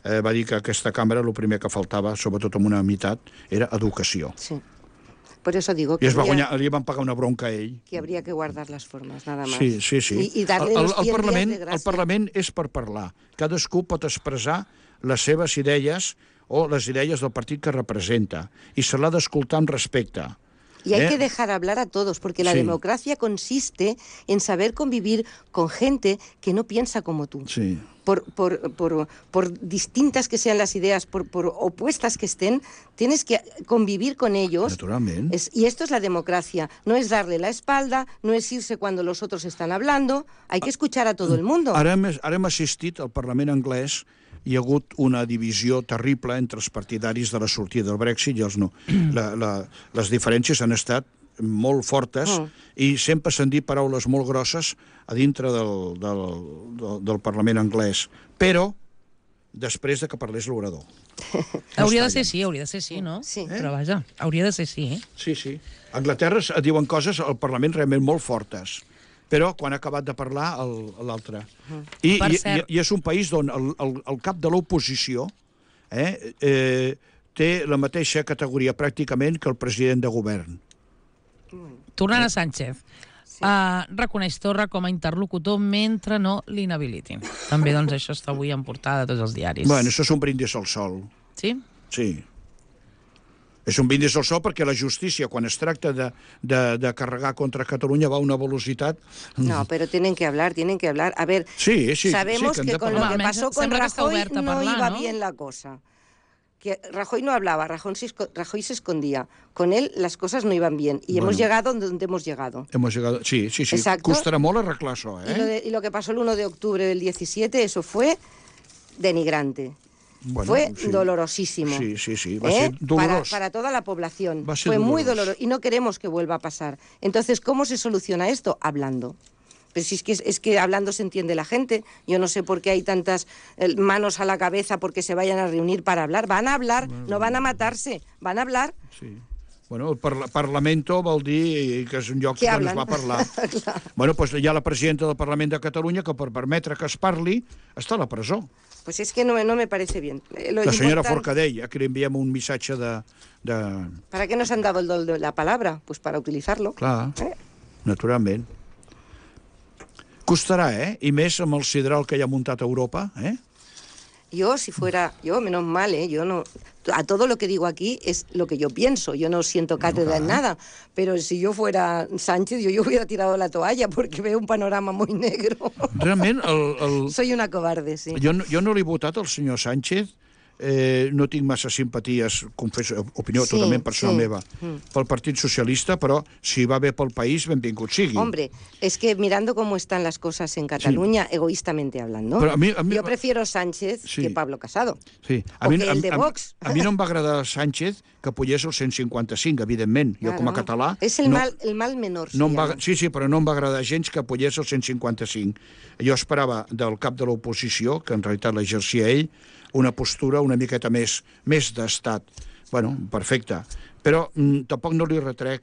Eh, va dir que aquesta cambra el primer que faltava, sobretot en una meitat, era educació. Sí. Por eso digo que I es va habría, guanyar, li van pagar una bronca a ell. que habría que guardar las formas, nada más. Sí, sí, sí. Y, y darle el, los el, cien Parlament, días de gràcia. el Parlament és per parlar. Cadascú pot expressar les seves idees o les idees del partit que representa i se l'ha d'escoltar amb respecte. Y hay ¿Eh? que dejar hablar a todos, porque la Sí. democracia consiste en saber convivir con gente que no piensa como tú. Sí. Por, por, por, por distintas que sean las ideas, por, por opuestas que estén, tienes que convivir con ellos. Naturalment. Es, y esto es la democracia. No es darle la espalda, no es irse cuando los otros están hablando. Hay que escuchar a todo el mundo. Ara hem, ara hem assistit al Parlament anglès, hi ha hagut una divisió terrible entre els partidaris de la sortida del Brexit i els no. La, la, les diferències han estat molt fortes Mm. i sempre s'han dit paraules molt grosses a dintre del, del, del, del Parlament anglès. Però després de que parlés l'orador. Hauria de ser sí, hauria de ser sí, no? Sí. Però vaja, hauria de ser sí. Sí, sí. A Anglaterra es diuen coses al Parlament realment molt fortes, però quan ha acabat de parlar l'altre. I, Per i, cert- i és un país on el, el, el cap de l'oposició eh, eh, té la mateixa categoria pràcticament que el president de govern. Tornant a Sánchez, sí. uh, reconeix Torra com a interlocutor mentre no l'inhabilitin. També, doncs, això està avui en portada de tots els diaris. Bueno, això és un brindis al sol. Sí? Sí. És un brindis al sol perquè la justícia, quan es tracta de, de, de carregar contra Catalunya, va a una velocitat... No, pero tienen que hablar, tienen que hablar. A ver, Sí, sí, sabemos sí, que hem que, de con parlar. lo que Home, pasó con sembla que està Rajoy oberta a no parlar, iba ¿no? bien la cosa. Que Rajoy no hablaba, Rajoy se, esco- Rajoy se escondía. Con él las cosas no iban bien y Bueno. hemos llegado donde hemos llegado. Hemos llegado... Sí, sí, sí. Exacto. Costarà molt arreglar això, Y, lo eh? de- y lo que pasó el uno de octubre del diecisiete, eso fue denigrante. Bueno, fue sí. dolorosísimo. Sí, sí, sí. Va ¿Eh? ser para, dolorós. para toda la población. Va a ser Fue muy doloroso. doloroso y no queremos que vuelva a pasar. Entonces, ¿cómo se soluciona esto? Hablando. Pero si es que, es que hablando se entiende la gente. Yo no sé por qué hay tantas eh, manos a la cabeza porque se vayan a reunir para hablar. Van a hablar, no van a matarse, van a hablar. Sí. Bueno, el parla Parlamento vol dir que és un lloc Que on es hablen. va parlar. Clar. Bueno, doncs hi ha la presidenta del Parlament de Catalunya que per permetre que es parli està a la presó. Pues es que no, me- no me parece bien. Eh, lo La senyora importante- Forcadell, a qui li enviem un missatge de... de... ¿Para qué nos han dado el don de la palabra? Pues para utilizarlo. Clar, Eh? naturalment. Costarà, eh? I més amb el sidral que hi ha muntat a Europa, eh? Yo, si fuera, yo, menos mal, ¿eh? Yo no, a todo lo que digo aquí es lo que yo pienso, yo no siento cátedra en nada, pero si yo fuera Sánchez, yo, yo hubiera tirado la toalla porque veo un panorama muy negro. Realment, el, el... Soy una cobarde, sí. Jo, no- jo no l'he votat al senyor Sánchez, eh, no tinc massa simpaties, confesso, opinió Sí, totalment personal sí. meva, pel Partit Socialista, però si va bé pel país, benvingut sigui. Hombre, es que mirando cómo están las cosas en Cataluña, egoístamente hablando, Pero a mí- a mí- yo prefiero Sánchez Sí. que Pablo Casado. Sí. O que el de Vox. A, a mi no em va agradar Sánchez que pugés el cent cinquanta-cinc, evidentment. Jo, com a Claro. català... Es el, no, mal, el mal menor. no se em va, llama. sí, sí, però no em va agradar gens que pugés el cent cinquanta-cinc. Jo esperava del cap de l'oposició, que en realitat l'exercia ell, una postura una miqueta més, més d'estat. Bueno, perfecte. Però mm, tampoc no li retrec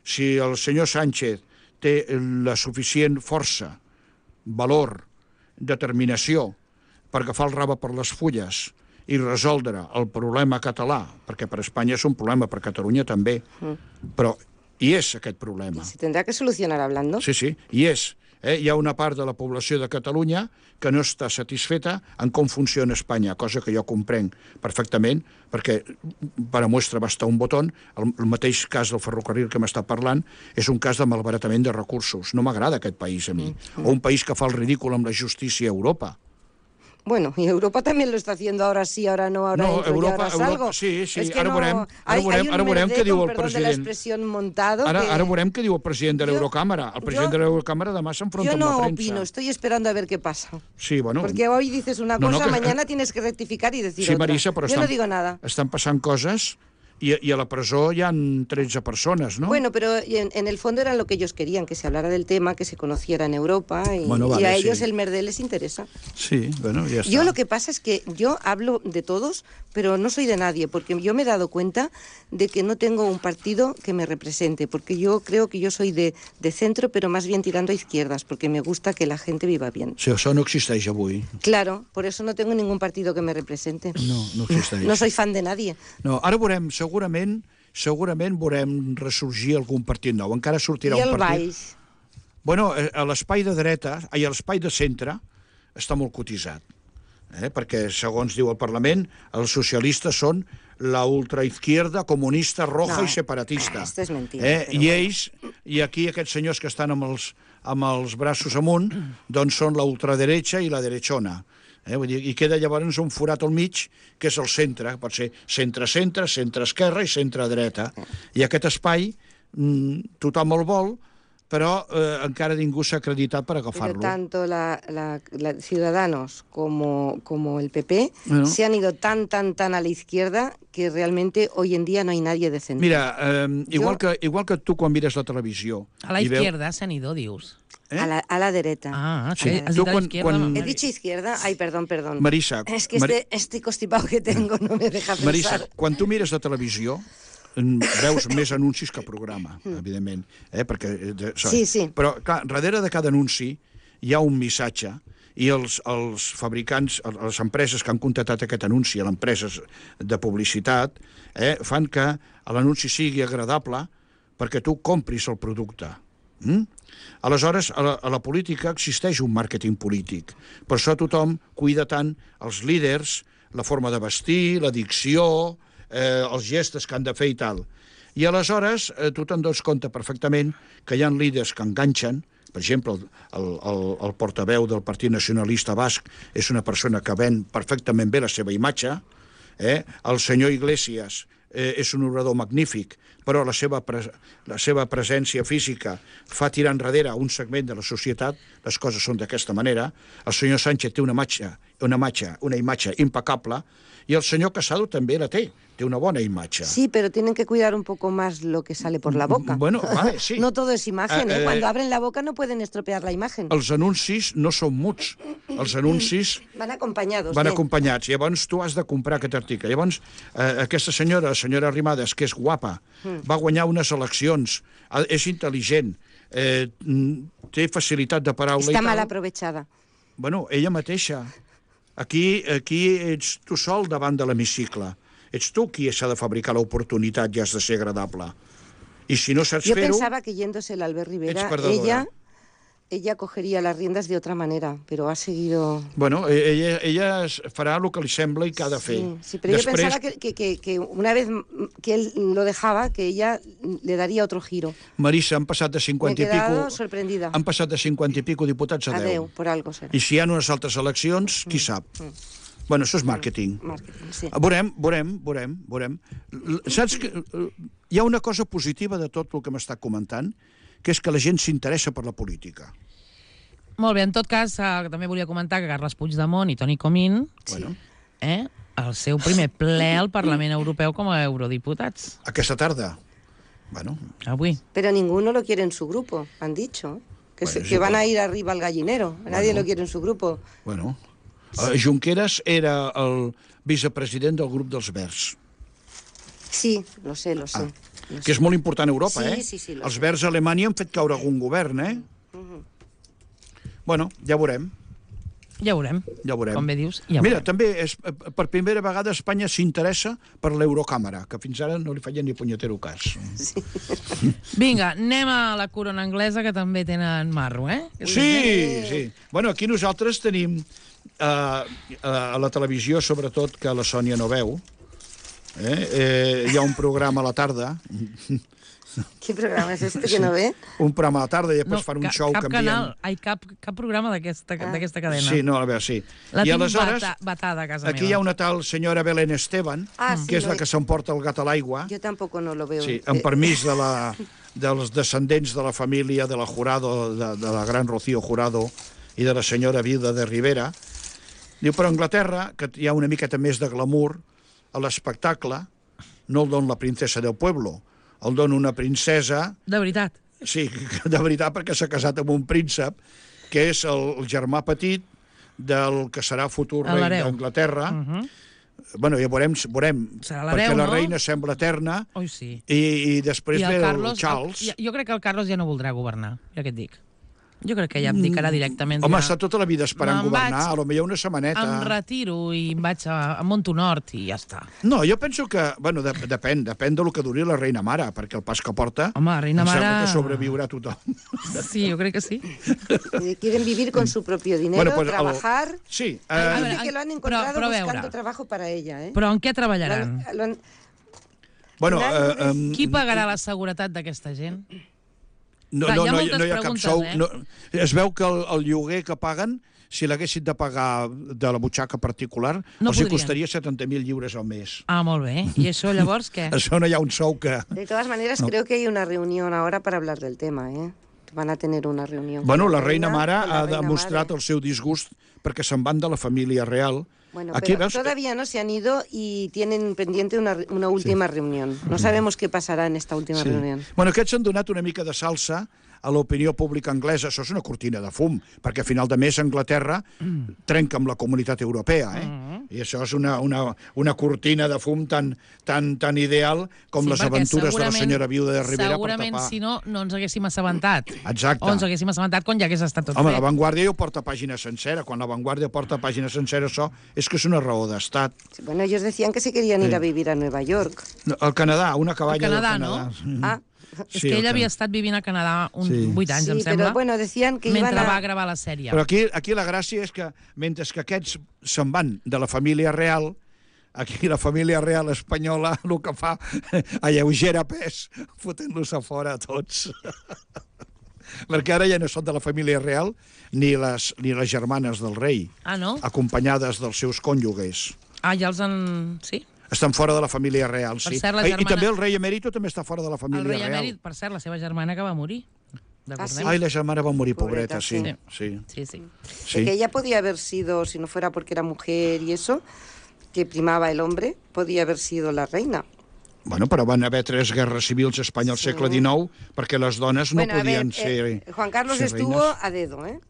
si el senyor Sánchez té la suficient força, valor, determinació per agafar el rave per les fulles i resoldre el problema català, perquè per Espanya és un problema, per Catalunya també, però hi és aquest problema. Se tendrá que solucionar hablando. Sí, sí, hi és. Eh? Hi ha una part de la població de Catalunya que no està satisfeta en com funciona Espanya, cosa que jo comprenc perfectament, perquè per a muestra basta un botó. El, el mateix cas del ferrocarril que m'està parlant és un cas de malbaratament de recursos. No m'agrada aquest país a mi. O un país que fa el ridícul amb la justícia a Europa. Bueno, y Europa también lo está haciendo, ahora sí, ahora no, ahora No, entro y Europa- ahora salgo. Europa- sí, sí, Es que ara no- veurem- ara hay- veurem- hay un ara veurem merder, què diu con el perdón de la president. expresión, montado. Ara, que- ara veurem què diu el president de Jo- l'Eurocàmera. El president jo- de l'Eurocàmera demà s'enfronta Yo amb la no premsa. opino, estoy esperando a ver qué pasa. Sí, bueno... Porque hoy dices una No, no, cosa, que- mañana tienes que rectificar y decir Sí, otra. Marisa, però Yo estan, no digo nada. estan passant coses i, i a la presó hi han tretze persones, no? Bueno, pero en, en el fondo era lo que ellos querían, que se hablara del tema, que se conociera en Europa y, Bueno, vale, y a sí. ellos el merder les interesa. Sí, bueno, ja està. Yo lo que pasa es que yo hablo de todos, pero no soy de nadie, porque yo me he dado cuenta de que no tengo un partido que me represente, porque yo creo que yo soy de, de centro, pero más bien tirando a izquierdas, porque me gusta que la gente viva bien. Sí, això no existeix avui. Claro, por eso no tengo ningún partido que me represente. No, no existeix. No soy fan de nadie. No, ara veurem, segurament, segurament veurem ressorgir algun partit nou. Encara sortirà I un el partit... Baix? Bueno, eh, a l'espai de dreta, ai, a l'espai de centre, està molt cotitzat. Eh? Perquè, segons diu el Parlament, els socialistes són la ultraizquierda comunista roja No, i separatista. esto es mentira, Eh? però I bueno. ells, i aquí aquests senyors que estan amb els, amb els braços amunt, doncs són la ultraderecha i la derechona. Eh? Vull dir, i queda llavors un forat al mig, que és el centre, pot ser centre-centre, centre-esquerra i centre-dreta. I aquest espai, mm, tothom el vol, però eh, encara ningú s'ha acreditat per Pero agafar-lo. tanto la, la- la Ciudadanos como, como el P P Bueno. se han ido tan, tan, tan a la izquierda que realmente hoy en día no hay nadie de centro. Mira, eh, igual, Jo- que, igual que tu quan mires la televisió... A la i veu- izquierda se han ido, dius. eh? a, la, a la derecha. Ah, Sí, sí. Has tu dit a la quan- izquierda, quan- mamá. He dicho izquierda, ay, perdón, perdón. Marisa, Es que Mari- este, este constipado que tengo no me deja pensar. Marisa, quan tu mires la televisió, mm, veus més anuncis que programa, evidentment. Eh? Perquè, eh, de, Sí, sí. Però, clar, darrere de cada anunci hi ha un missatge i els, els fabricants, les empreses que han contractat aquest anunci, les empreses de publicitat, eh, fan que l'anunci sigui agradable perquè tu compris el producte. Mm? Aleshores, a la, a la política existeix un màrqueting polític. Per això tothom cuida tant els líders, la forma de vestir, la dicció, eh, els gestos que han de fer i tal. I aleshores eh, tu te'n dones compte perfectament que hi ha líders que enganxen. Per exemple, el, el, el, el portaveu del Partit Nacionalista Basc és una persona que ven perfectament bé la seva imatge. Eh? El senyor Iglesias eh, és un orador magnífic, però la seva, pres la seva presència física fa tirar enrere un segment de la societat, les coses són d'aquesta manera. El senyor Sánchez té una imatge, una imatge, una imatge impecable, i el senyor Casado també la té, té una bona imatge. Sí, pero tienen que cuidar un poco más lo que sale por la boca. Bueno, vale, sí. No todo es imagen, Eh, ¿eh? eh, Cuando abren la boca no pueden estropear la imagen. Els anuncis no són muts. Els anuncis Van acompañados. van de- acompanyats. Llavors tu has de comprar aquest article. Llavors eh, aquesta senyora, la senyora Arrimadas, que és guapa, va guanyar unes eleccions, ha- és intel·ligent, eh, mm, té facilitat de paraula Está i mal tal. aprovechada. Bueno, ella mateixa. Aquí, aquí ets tu sol davant de l'hemicicle. Ets tu qui s'ha de fabricar l'oportunitat i has de ser agradable. I si no saps Yo fer-ho... pensaba que yéndose el Albert Rivera, Ets perdedora. ella, ella cogería las riendas de otra manera, pero ha seguido... Bueno, eh, ella, ella es- farà el que li sembla i que ha de fer. Sí, sí, pero yo pensaba que, que, que, que una vez que él lo dejaba, que ella le daría otro giro. Marisa, han passat de Me he cinquanta i quedado pico... sorprendida. Han passat de cinquanta i pico diputats a Adeu, deu. por algo será. I si hi ha unes altres eleccions, qui sap? Bueno, això és màrqueting. Marketing, sí. Veurem, veurem, veurem, veurem. L- Saps que eh, hi ha una cosa positiva de tot el que m'està comentant, que és que la gent s'interessa per la política. Molt bé, en tot cas, eh, també volia comentar que Carles Puigdemont i Toni Comín, Bueno, eh, el seu primer ple al Parlament Europeu com a eurodiputats. aquesta tarda. Bueno, Avui. Pero ninguno lo quiere en su grupo, han dicho. Que, Bueno, se- es que van igual. a ir arriba al gallinero. Nadie Bueno. lo quiere en su grupo. bueno. Eh, Junqueras era el vicepresident del grup dels Verds, Sí, lo sé, lo sé. Ah, lo que sé. és molt important a Europa, Sí, eh? sí, sí, lo Els sé. Verds a Alemanya han fet caure algun govern, eh? Bueno, ja veurem. Ja veurem. Ja veurem. Com bé dius, ja Mira, veurem. també és, eh, per primera vegada Espanya s'interessa per l'Eurocàmera, que fins ara no li feien ni punyetero cas. Vinga, anem a la corona anglesa, que també tenen marro, eh? Sí, sí. Bueno, aquí nosaltres tenim eh, a la televisió, sobretot, que la Sònia no veu. Eh? Eh, hi ha un programa a la tarda ¿Qué programa es este que no ve? Un programa a la tarda i després No, fan un ca- show cap canviant. canal, ai, cap, cap programa d'aquesta Ah. d'aquesta cadena. Sí, no, a veure, sí. La I tinc aleshores, bata, batada a casa aquí meva. hi ha una tal senyora Belén Esteban, Ah, sí, que és no la he- que s'emporta el gat a l'aigua. Yo tampoco no lo veo. Sí, Eh, amb permís de la, dels descendents de la família de la Jurado, de, de la gran Rocío Jurado i de la senyora Vida de Rivera. Diu, però a Anglaterra, que hi ha una miqueta més de glamour, a l'espectacle no el dona la princesa del pueblo, el dona una princesa, De veritat. sí, de veritat, perquè s'ha casat amb un príncep, que és el, el germà petit del que serà futur rei L'hereu. d'Anglaterra. Uh -huh. Bueno, ja veurem, veurem Serà perquè l'hereu, la no? reina sembla eterna, Oi, sí. i, i després I ve el el Carlos, Charles. el, jo crec que el Carlos ja no voldrà governar, ja que et dic. Jo crec que ja abdicarà directament. Home, ja. està tota la vida esperant Me'n governar, vaig, a lo millor una setmaneta. Em retiro i em vaig a, a Montonort i ja està. No, jo penso que, bueno, de, depèn, depèn del que duri la reina mare, perquè el pas que porta, Home, la reina em sembla mare- que sobreviurà tothom. Sí, jo crec que sí. Eh, Quieren vivir con su propio dinero, Bueno, pues, el- trabajar. Sí, A eh, veure, Dice que lo han però- encontrado però a buscando veure. trabajo para ella, ¿eh? Però en què Lo treballaran? han- lo han- bueno, Claro, eh, em, Qui pagarà la seguretat d'aquesta gent? no, Clar, no, hi ha no, moltes no hi ha cap preguntes, sou. eh? No, es veu que el, el lloguer que paguen, si l'haguessin de pagar de la butxaca particular, No els hi podrien. costaria setanta mil lliures al mes. Ah, molt bé. I això llavors què? Això no hi ha un sou que... De todas maneras, No. creo que hay una reunión ahora para hablar del tema, ¿eh? Van a tener una reunión. Bueno, con la reina mare con la ha reina demostrat madre. el seu disgust perquè se'n van de la família real. Bueno, Aquí pero veus... todavía no se han ido y tienen pendiente una, una última reunión. No sabemos qué pasarà en esta última Sí. reunión. Bueno, aquests han donat una mica de salsa a l'opinió pública anglesa. Això és una cortina de fum, perquè a final de mes Anglaterra trenca amb la comunitat europea, eh? I això és una, una, una cortina de fum tan, tan, tan ideal com Sí, les perquè aventures de la segurament- senyora Viuda de Rivera per Segurament, tapar. si no, no ens haguéssim assabentat. Exacte. O ens haguéssim assabentat quan ja hagués estat tot Home, fet. la Vanguardia ho porta pàgina sencera. Quan la Vanguardia porta pàgina sencera, això és que és una raó d'estat. Bueno, ellos decían que se querían ir Sí. a vivir a Nueva York. No, al Canadà, una cabanya Al Canadà, del Canadà. no? Ah, És Sí, que el ell havia Canadà. estat vivint a Canadà uns Sí. vuit anys, sí, em sembla, pero bueno, decían que mentre iban a... va gravar la sèrie. Però aquí, aquí la gràcia és que, mentre que aquests se'n van de la família real, aquí la família real espanyola el que fa alleugera pes, fotent-los a fora a tots. Perquè ara ja no són de la família real ni les, ni les germanes del rei, Ah, no? acompanyades dels seus cònjuges. Ah, ja els han... Sí? Estan fora de la família real, Per sí. cert, la I, I germana- també el rei emèrito també està fora de la El família rei real. emèrit, per cert, la seva germana que va morir. Ah, sí? Ai, la germana va morir, pobreta, Pobreta, sí. sí. Sí, Sí, sí. sí. Que ella podía haber sido, si no fuera porque era mujer y eso, que primaba el hombre, podía haber sido la reina. Bueno, però van haver tres guerres civils a Espanya al Sí. segle dinou perquè les dones no bueno, a podien ver, ser... eh, Juan Carlos ser estuvo reines. a dedo, ¿eh?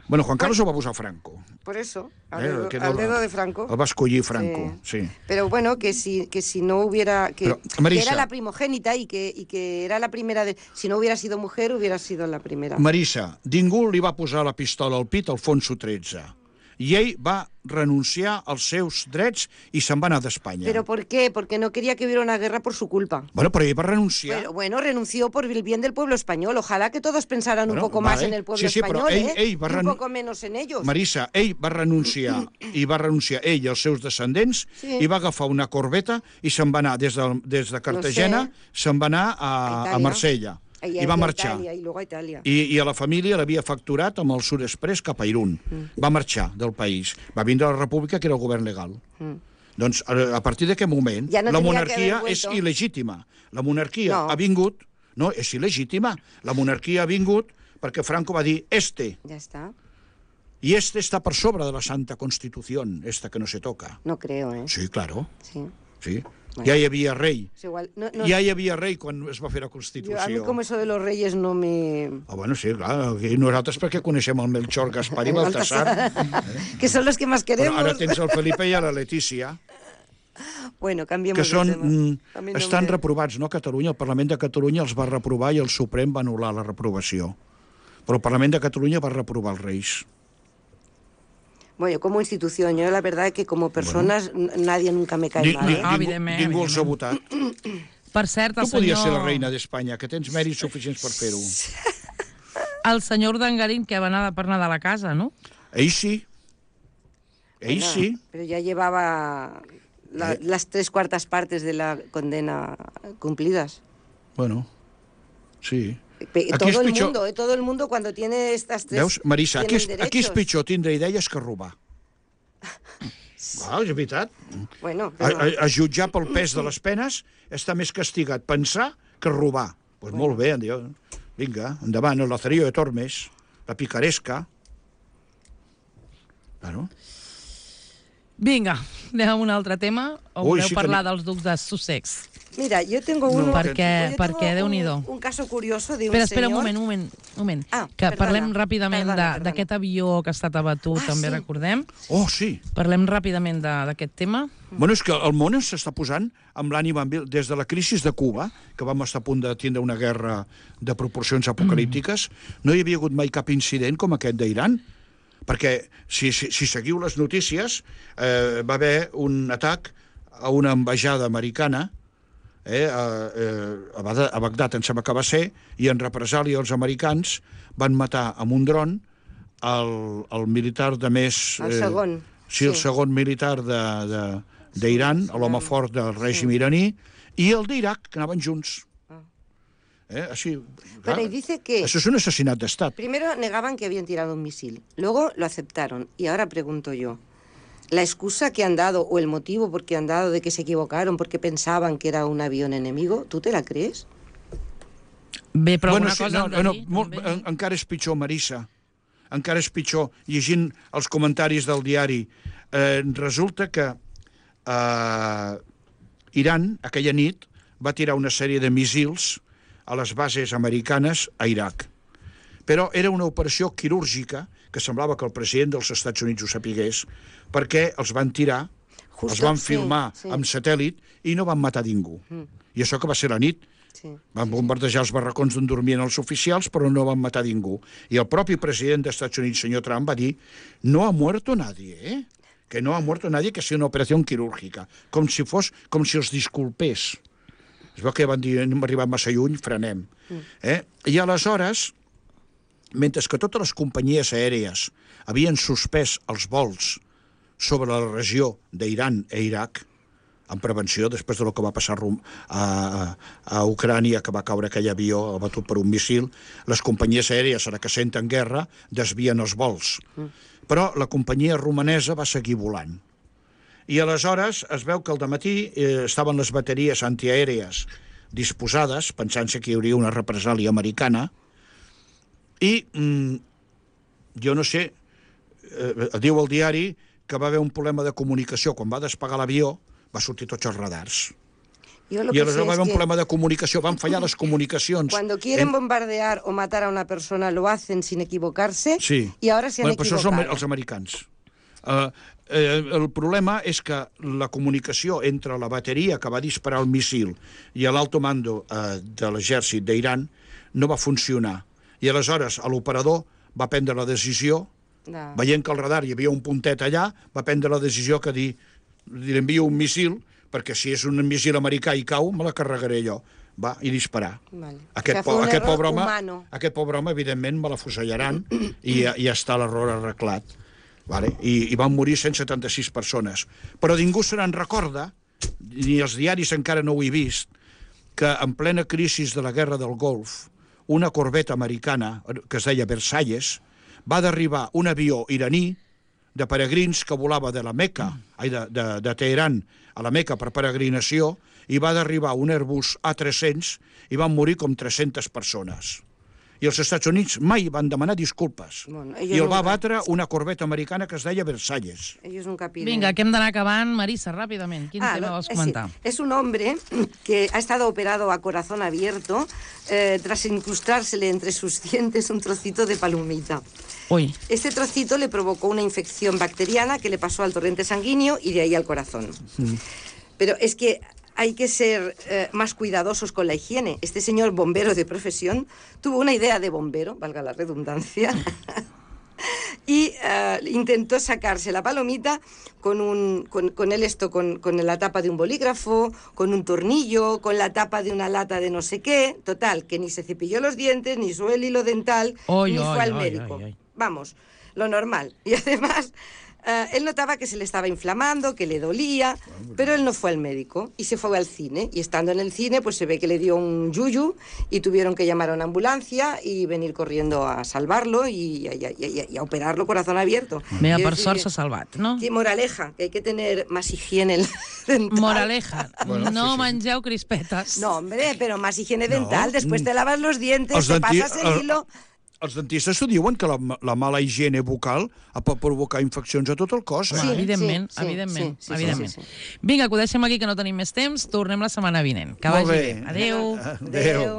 Bueno, Juan Carlos ho va posar Franco. Por eso, al, Eh, dedo, que al no- dedo de Franco. El va escollir Franco, sí. Pero bueno, que si, que si no hubiera... Que, Pero, que Marisa. era la primogénita y que, y que era la primera de... Si no hubiera sido mujer, hubiera sido la primera. Marisa, ningú li va posar la pistola al pit a Alfonso tretze. I ell va renunciar als seus drets i se'n va anar d'Espanya. ¿Pero por qué? Porque no quería que hubiera una guerra por su culpa. Bueno, però ell va renunciar. Bueno, bueno, renunció por el bien del pueblo español. Ojalá que todos pensaran Bueno, un poco vale. más en el pueblo Sí, sí, però español, ell- ¿eh? ell va Y un renu- poco menos en ellos. Marisa, ell va renunciar i va renunciar ell i els seus descendents Sí. i va agafar una corbeta i se'n va anar des de, des de Cartagena, se'n va anar a, A a Itàlia. Marsella. Y, I va a marxar. Italia, y luego a Italia. I, I a la família l'havia facturat amb el Sud Express cap a Irún. Mm. Va marxar del país. Va vindre a la República, que era el govern legal. Mm. Doncs a, a partir d'aquest moment, Ja no la tenia que monarquia haver és vuelto. il·legítima. La monarquia No. ha vingut... No, és il·legítima. La monarquia ha vingut perquè Franco va dir este. Ya está. Y este está por sobre de la Santa Constitución, esta que no se toca. No creo, ¿eh? Sí, claro. Sí. Sí. Bueno. Ja hi havia rei. Es igual. No, no, Ja hi havia rei quan es va fer la yo- Constitució. a mí como eso de los reyes no me... Ah, bueno, sí, clar. I nosaltres perquè coneixem el Melchor, Gaspar i Baltasar. que son los que más Però queremos. ara tens el Felipe i a la Letícia, Bueno, cambiemos que de són, tema. mm, A mí no estan me- reprovats, no? A Catalunya, el Parlament de Catalunya els va reprovar i el Suprem va anul·lar la reprovació. Però el Parlament de Catalunya va reprovar els reis. Bueno, como institución, yo la verdad es que como personas n- nadie nunca me cae Ni, mal, ni, ¿eh? Ah, ningú, evidentment, ningú els ha votat. Per cert, el Tu podies senyor... ser la reina d'Espanya, que tens mèrits suficients per fer-ho. El senyor Urdangarín, que va anar per Nadal a casa, no? Ell sí. Ell Bueno, sí. Pero ya llevaba la- Eh. las tres cuartas partes de la condena cumplidas. Bueno, sí. Pe- Aquí todo és el pitjor. mundo, eh, todo el mundo cuando tiene estas tres... Veus, Marisa, aquí és, tienen aquí és derechos. pitjor tindre idees que robar. Ah, és veritat. Bueno, A, pero... a, a jutjar pel pes de les penes està més castigat pensar que robar. Doncs pues molt bé, diu. Vinga, endavant, el lazarillo de Tormes, la picaresca. Bueno. Vinga, anem a un altre tema, o Ui, voleu sí que parlar ni- dels ducs de Sussex? Mira, yo tengo No, uno... perquè, yo perquè tengo Déu-n'hi-do. un, un caso curioso de un Espera, espera un señor... moment, un moment, un moment. Ah, que perdona, parlem ràpidament perdona, de- perdona. d'aquest avió que ha estat abatut, Ah, també sí. recordem. Oh, sí. Parlem ràpidament de- d'aquest tema. Bueno, és que el món s'està posant amb l'ànima en vil. Des de la crisi de Cuba, que vam estar a punt de tindre una guerra de proporcions apocalíptiques, no hi havia hagut mai cap incident com aquest d'Iran, perquè si, si, si seguiu les notícies, eh, va haver un atac a una ambaixada americana eh, a, a, Bagdad, a Bagdad, em sembla que va ser, i en represàlia els americans van matar amb un dron el, el militar de més... El segon. Sí, el Sí. segon militar de, de, d'Iran, l'home fort del règim iraní, i el d'Iraq, que anaven junts. Eh, així, clar, Bueno, y dice que... això és un assassinat d'estat. Primero negaban que habían tirado un misil, luego lo aceptaron. Y ahora pregunto yo, ¿la excusa que han dado o el motivo por qué han dado de que se equivocaron porque pensaban que era un avión enemigo, ¿tú te la crees? Bé, però bueno, alguna sí, cosa no, han de bueno, dir, molt, també. en, encara és pitjor, Marisa. Encara és pitjor. Llegint els comentaris del diari, eh, resulta que eh, Iran, aquella nit, va tirar una sèrie de missils a les bases americanes a Iraq. Però era una operació quirúrgica que semblava que el president dels Estats Units ho sapigués, perquè els van tirar, Justo, els van sí, filmar sí. amb satèl·lit i no van matar ningú. I això que va ser la nit. Sí. Van bombardejar els barracons on dormien els oficials, però no van matar ningú. I el propi president dels Estats Units, senyor Trump, va dir no ha muerto nadie, eh? Que no ha muerto nadie, que sigui una operació quirúrgica. Com si fos, com si els disculpés. Es veu que van dir, no hem arribat massa lluny, frenem. Eh? I aleshores, mentre que totes les companyies aèries havien suspès els vols sobre la regió d'Iran e Iraq, en prevenció, després de lo que va passar a, a, a Ucrània, que va caure aquell avió abatut per un missil, les companyies aèries, ara que senten guerra, desvien els vols. Però la companyia romanesa va seguir volant. I aleshores es veu que al dematí eh, estaven les bateries antiaèries disposades, pensant-se que hi hauria una represàlia americana, i mm, jo no sé, eh, diu el diari que va haver un problema de comunicació. Quan va despegar l'avió, va sortir tots els radars. Yo lo I que sé aleshores va es haver un que problema de comunicació, van fallar les comunicacions. cuando quieren En- bombardear o matar a una persona lo hacen sin equivocarse Sí. y ahora se han bueno, però això són equivocado. els americans. Uh, eh, el problema és que la comunicació entre la bateria que va disparar el missil i l'alto mando uh, de l'exèrcit d'Iran no va funcionar. I aleshores l'operador va prendre la decisió, Da. veient que al radar hi havia un puntet allà, va prendre la decisió que dir, li envio un missil, perquè si és un missil americà i cau, me la carregaré jo. Va, i disparar. Vale. Aquest, O sea, fue po un aquest, error pobre home, humano. aquest pobre home, evidentment, me l'afusellaran i ja, ja està l'error arreglat. Vale? I, I van morir cent setanta-sis persones. Però ningú se n'en recorda, ni els diaris encara no ho he vist, que en plena crisi de la guerra del Golf, una corbeta americana, que es deia Versalles, va derribar un avió iraní de peregrins que volava de la Meca, ai, de, de, de Teheran a la Meca per peregrinació, i va derribar un Airbus A tres-cents i van morir com tres-centes persones. I els Estats Units mai van demanar disculpes. Bueno, I ellos el va nunca- batre una corbeta americana que es deia Versalles. Ellos nunca piden. Vinga, que hem d'anar acabant. Marisa, ràpidament, quin Ah, tema no, vols es, comentar? es un hombre que ha estado operado a corazón abierto eh, tras incrustársele entre sus dientes un trocito de palomita. Ui, Este trocito le provocó una infección bacteriana que le pasó al torrente sanguíneo y de ahí al corazón. Pero es que hay que ser eh, más cuidadosos con la higiene. Este señor bombero de profesión tuvo una idea de bombero, valga la redundancia, y eh, intentó sacarse la palomita con, un, con, con el esto, con, con la tapa de un bolígrafo, con un tornillo, con la tapa de una lata de no sé qué. Total, que ni se cepilló los dientes, ni usó el hilo dental, oi, ni oi, fue al oi, médico. oi, oi. vamos, lo normal. Y además, eh, él notaba que se le estaba inflamando, que le dolía, pero él no fue al médico y se fue al cine. Y estando en el cine, pues se ve que le dio un yuyu y tuvieron que llamar a una ambulancia y venir corriendo a salvarlo y, y, y, y a operarlo corazón abierto. Mira, Quiero per decir sort que- s'ha salvat, no? Sí, moraleja, que hay que tener más higiene dental. Moraleja, Bueno, no sí, sí. mengeu crispetes. No, hombre, pero más higiene No, dental. Después mm. te lavas los dientes, Els te denti- pasas el el- hilo... Els dentistes t'ho diuen, que la, la mala higiene bucal pot provocar infeccions a tot el cos. Home, Eh? Sí, evidentment, sí, sí, evidentment, sí, sí, evidentment. sí, sí, Vinga, que ho deixem aquí, que no tenim més temps. Tornem la setmana vinent. Que Molt vagi bé. bé. Adéu. Adéu. Adéu.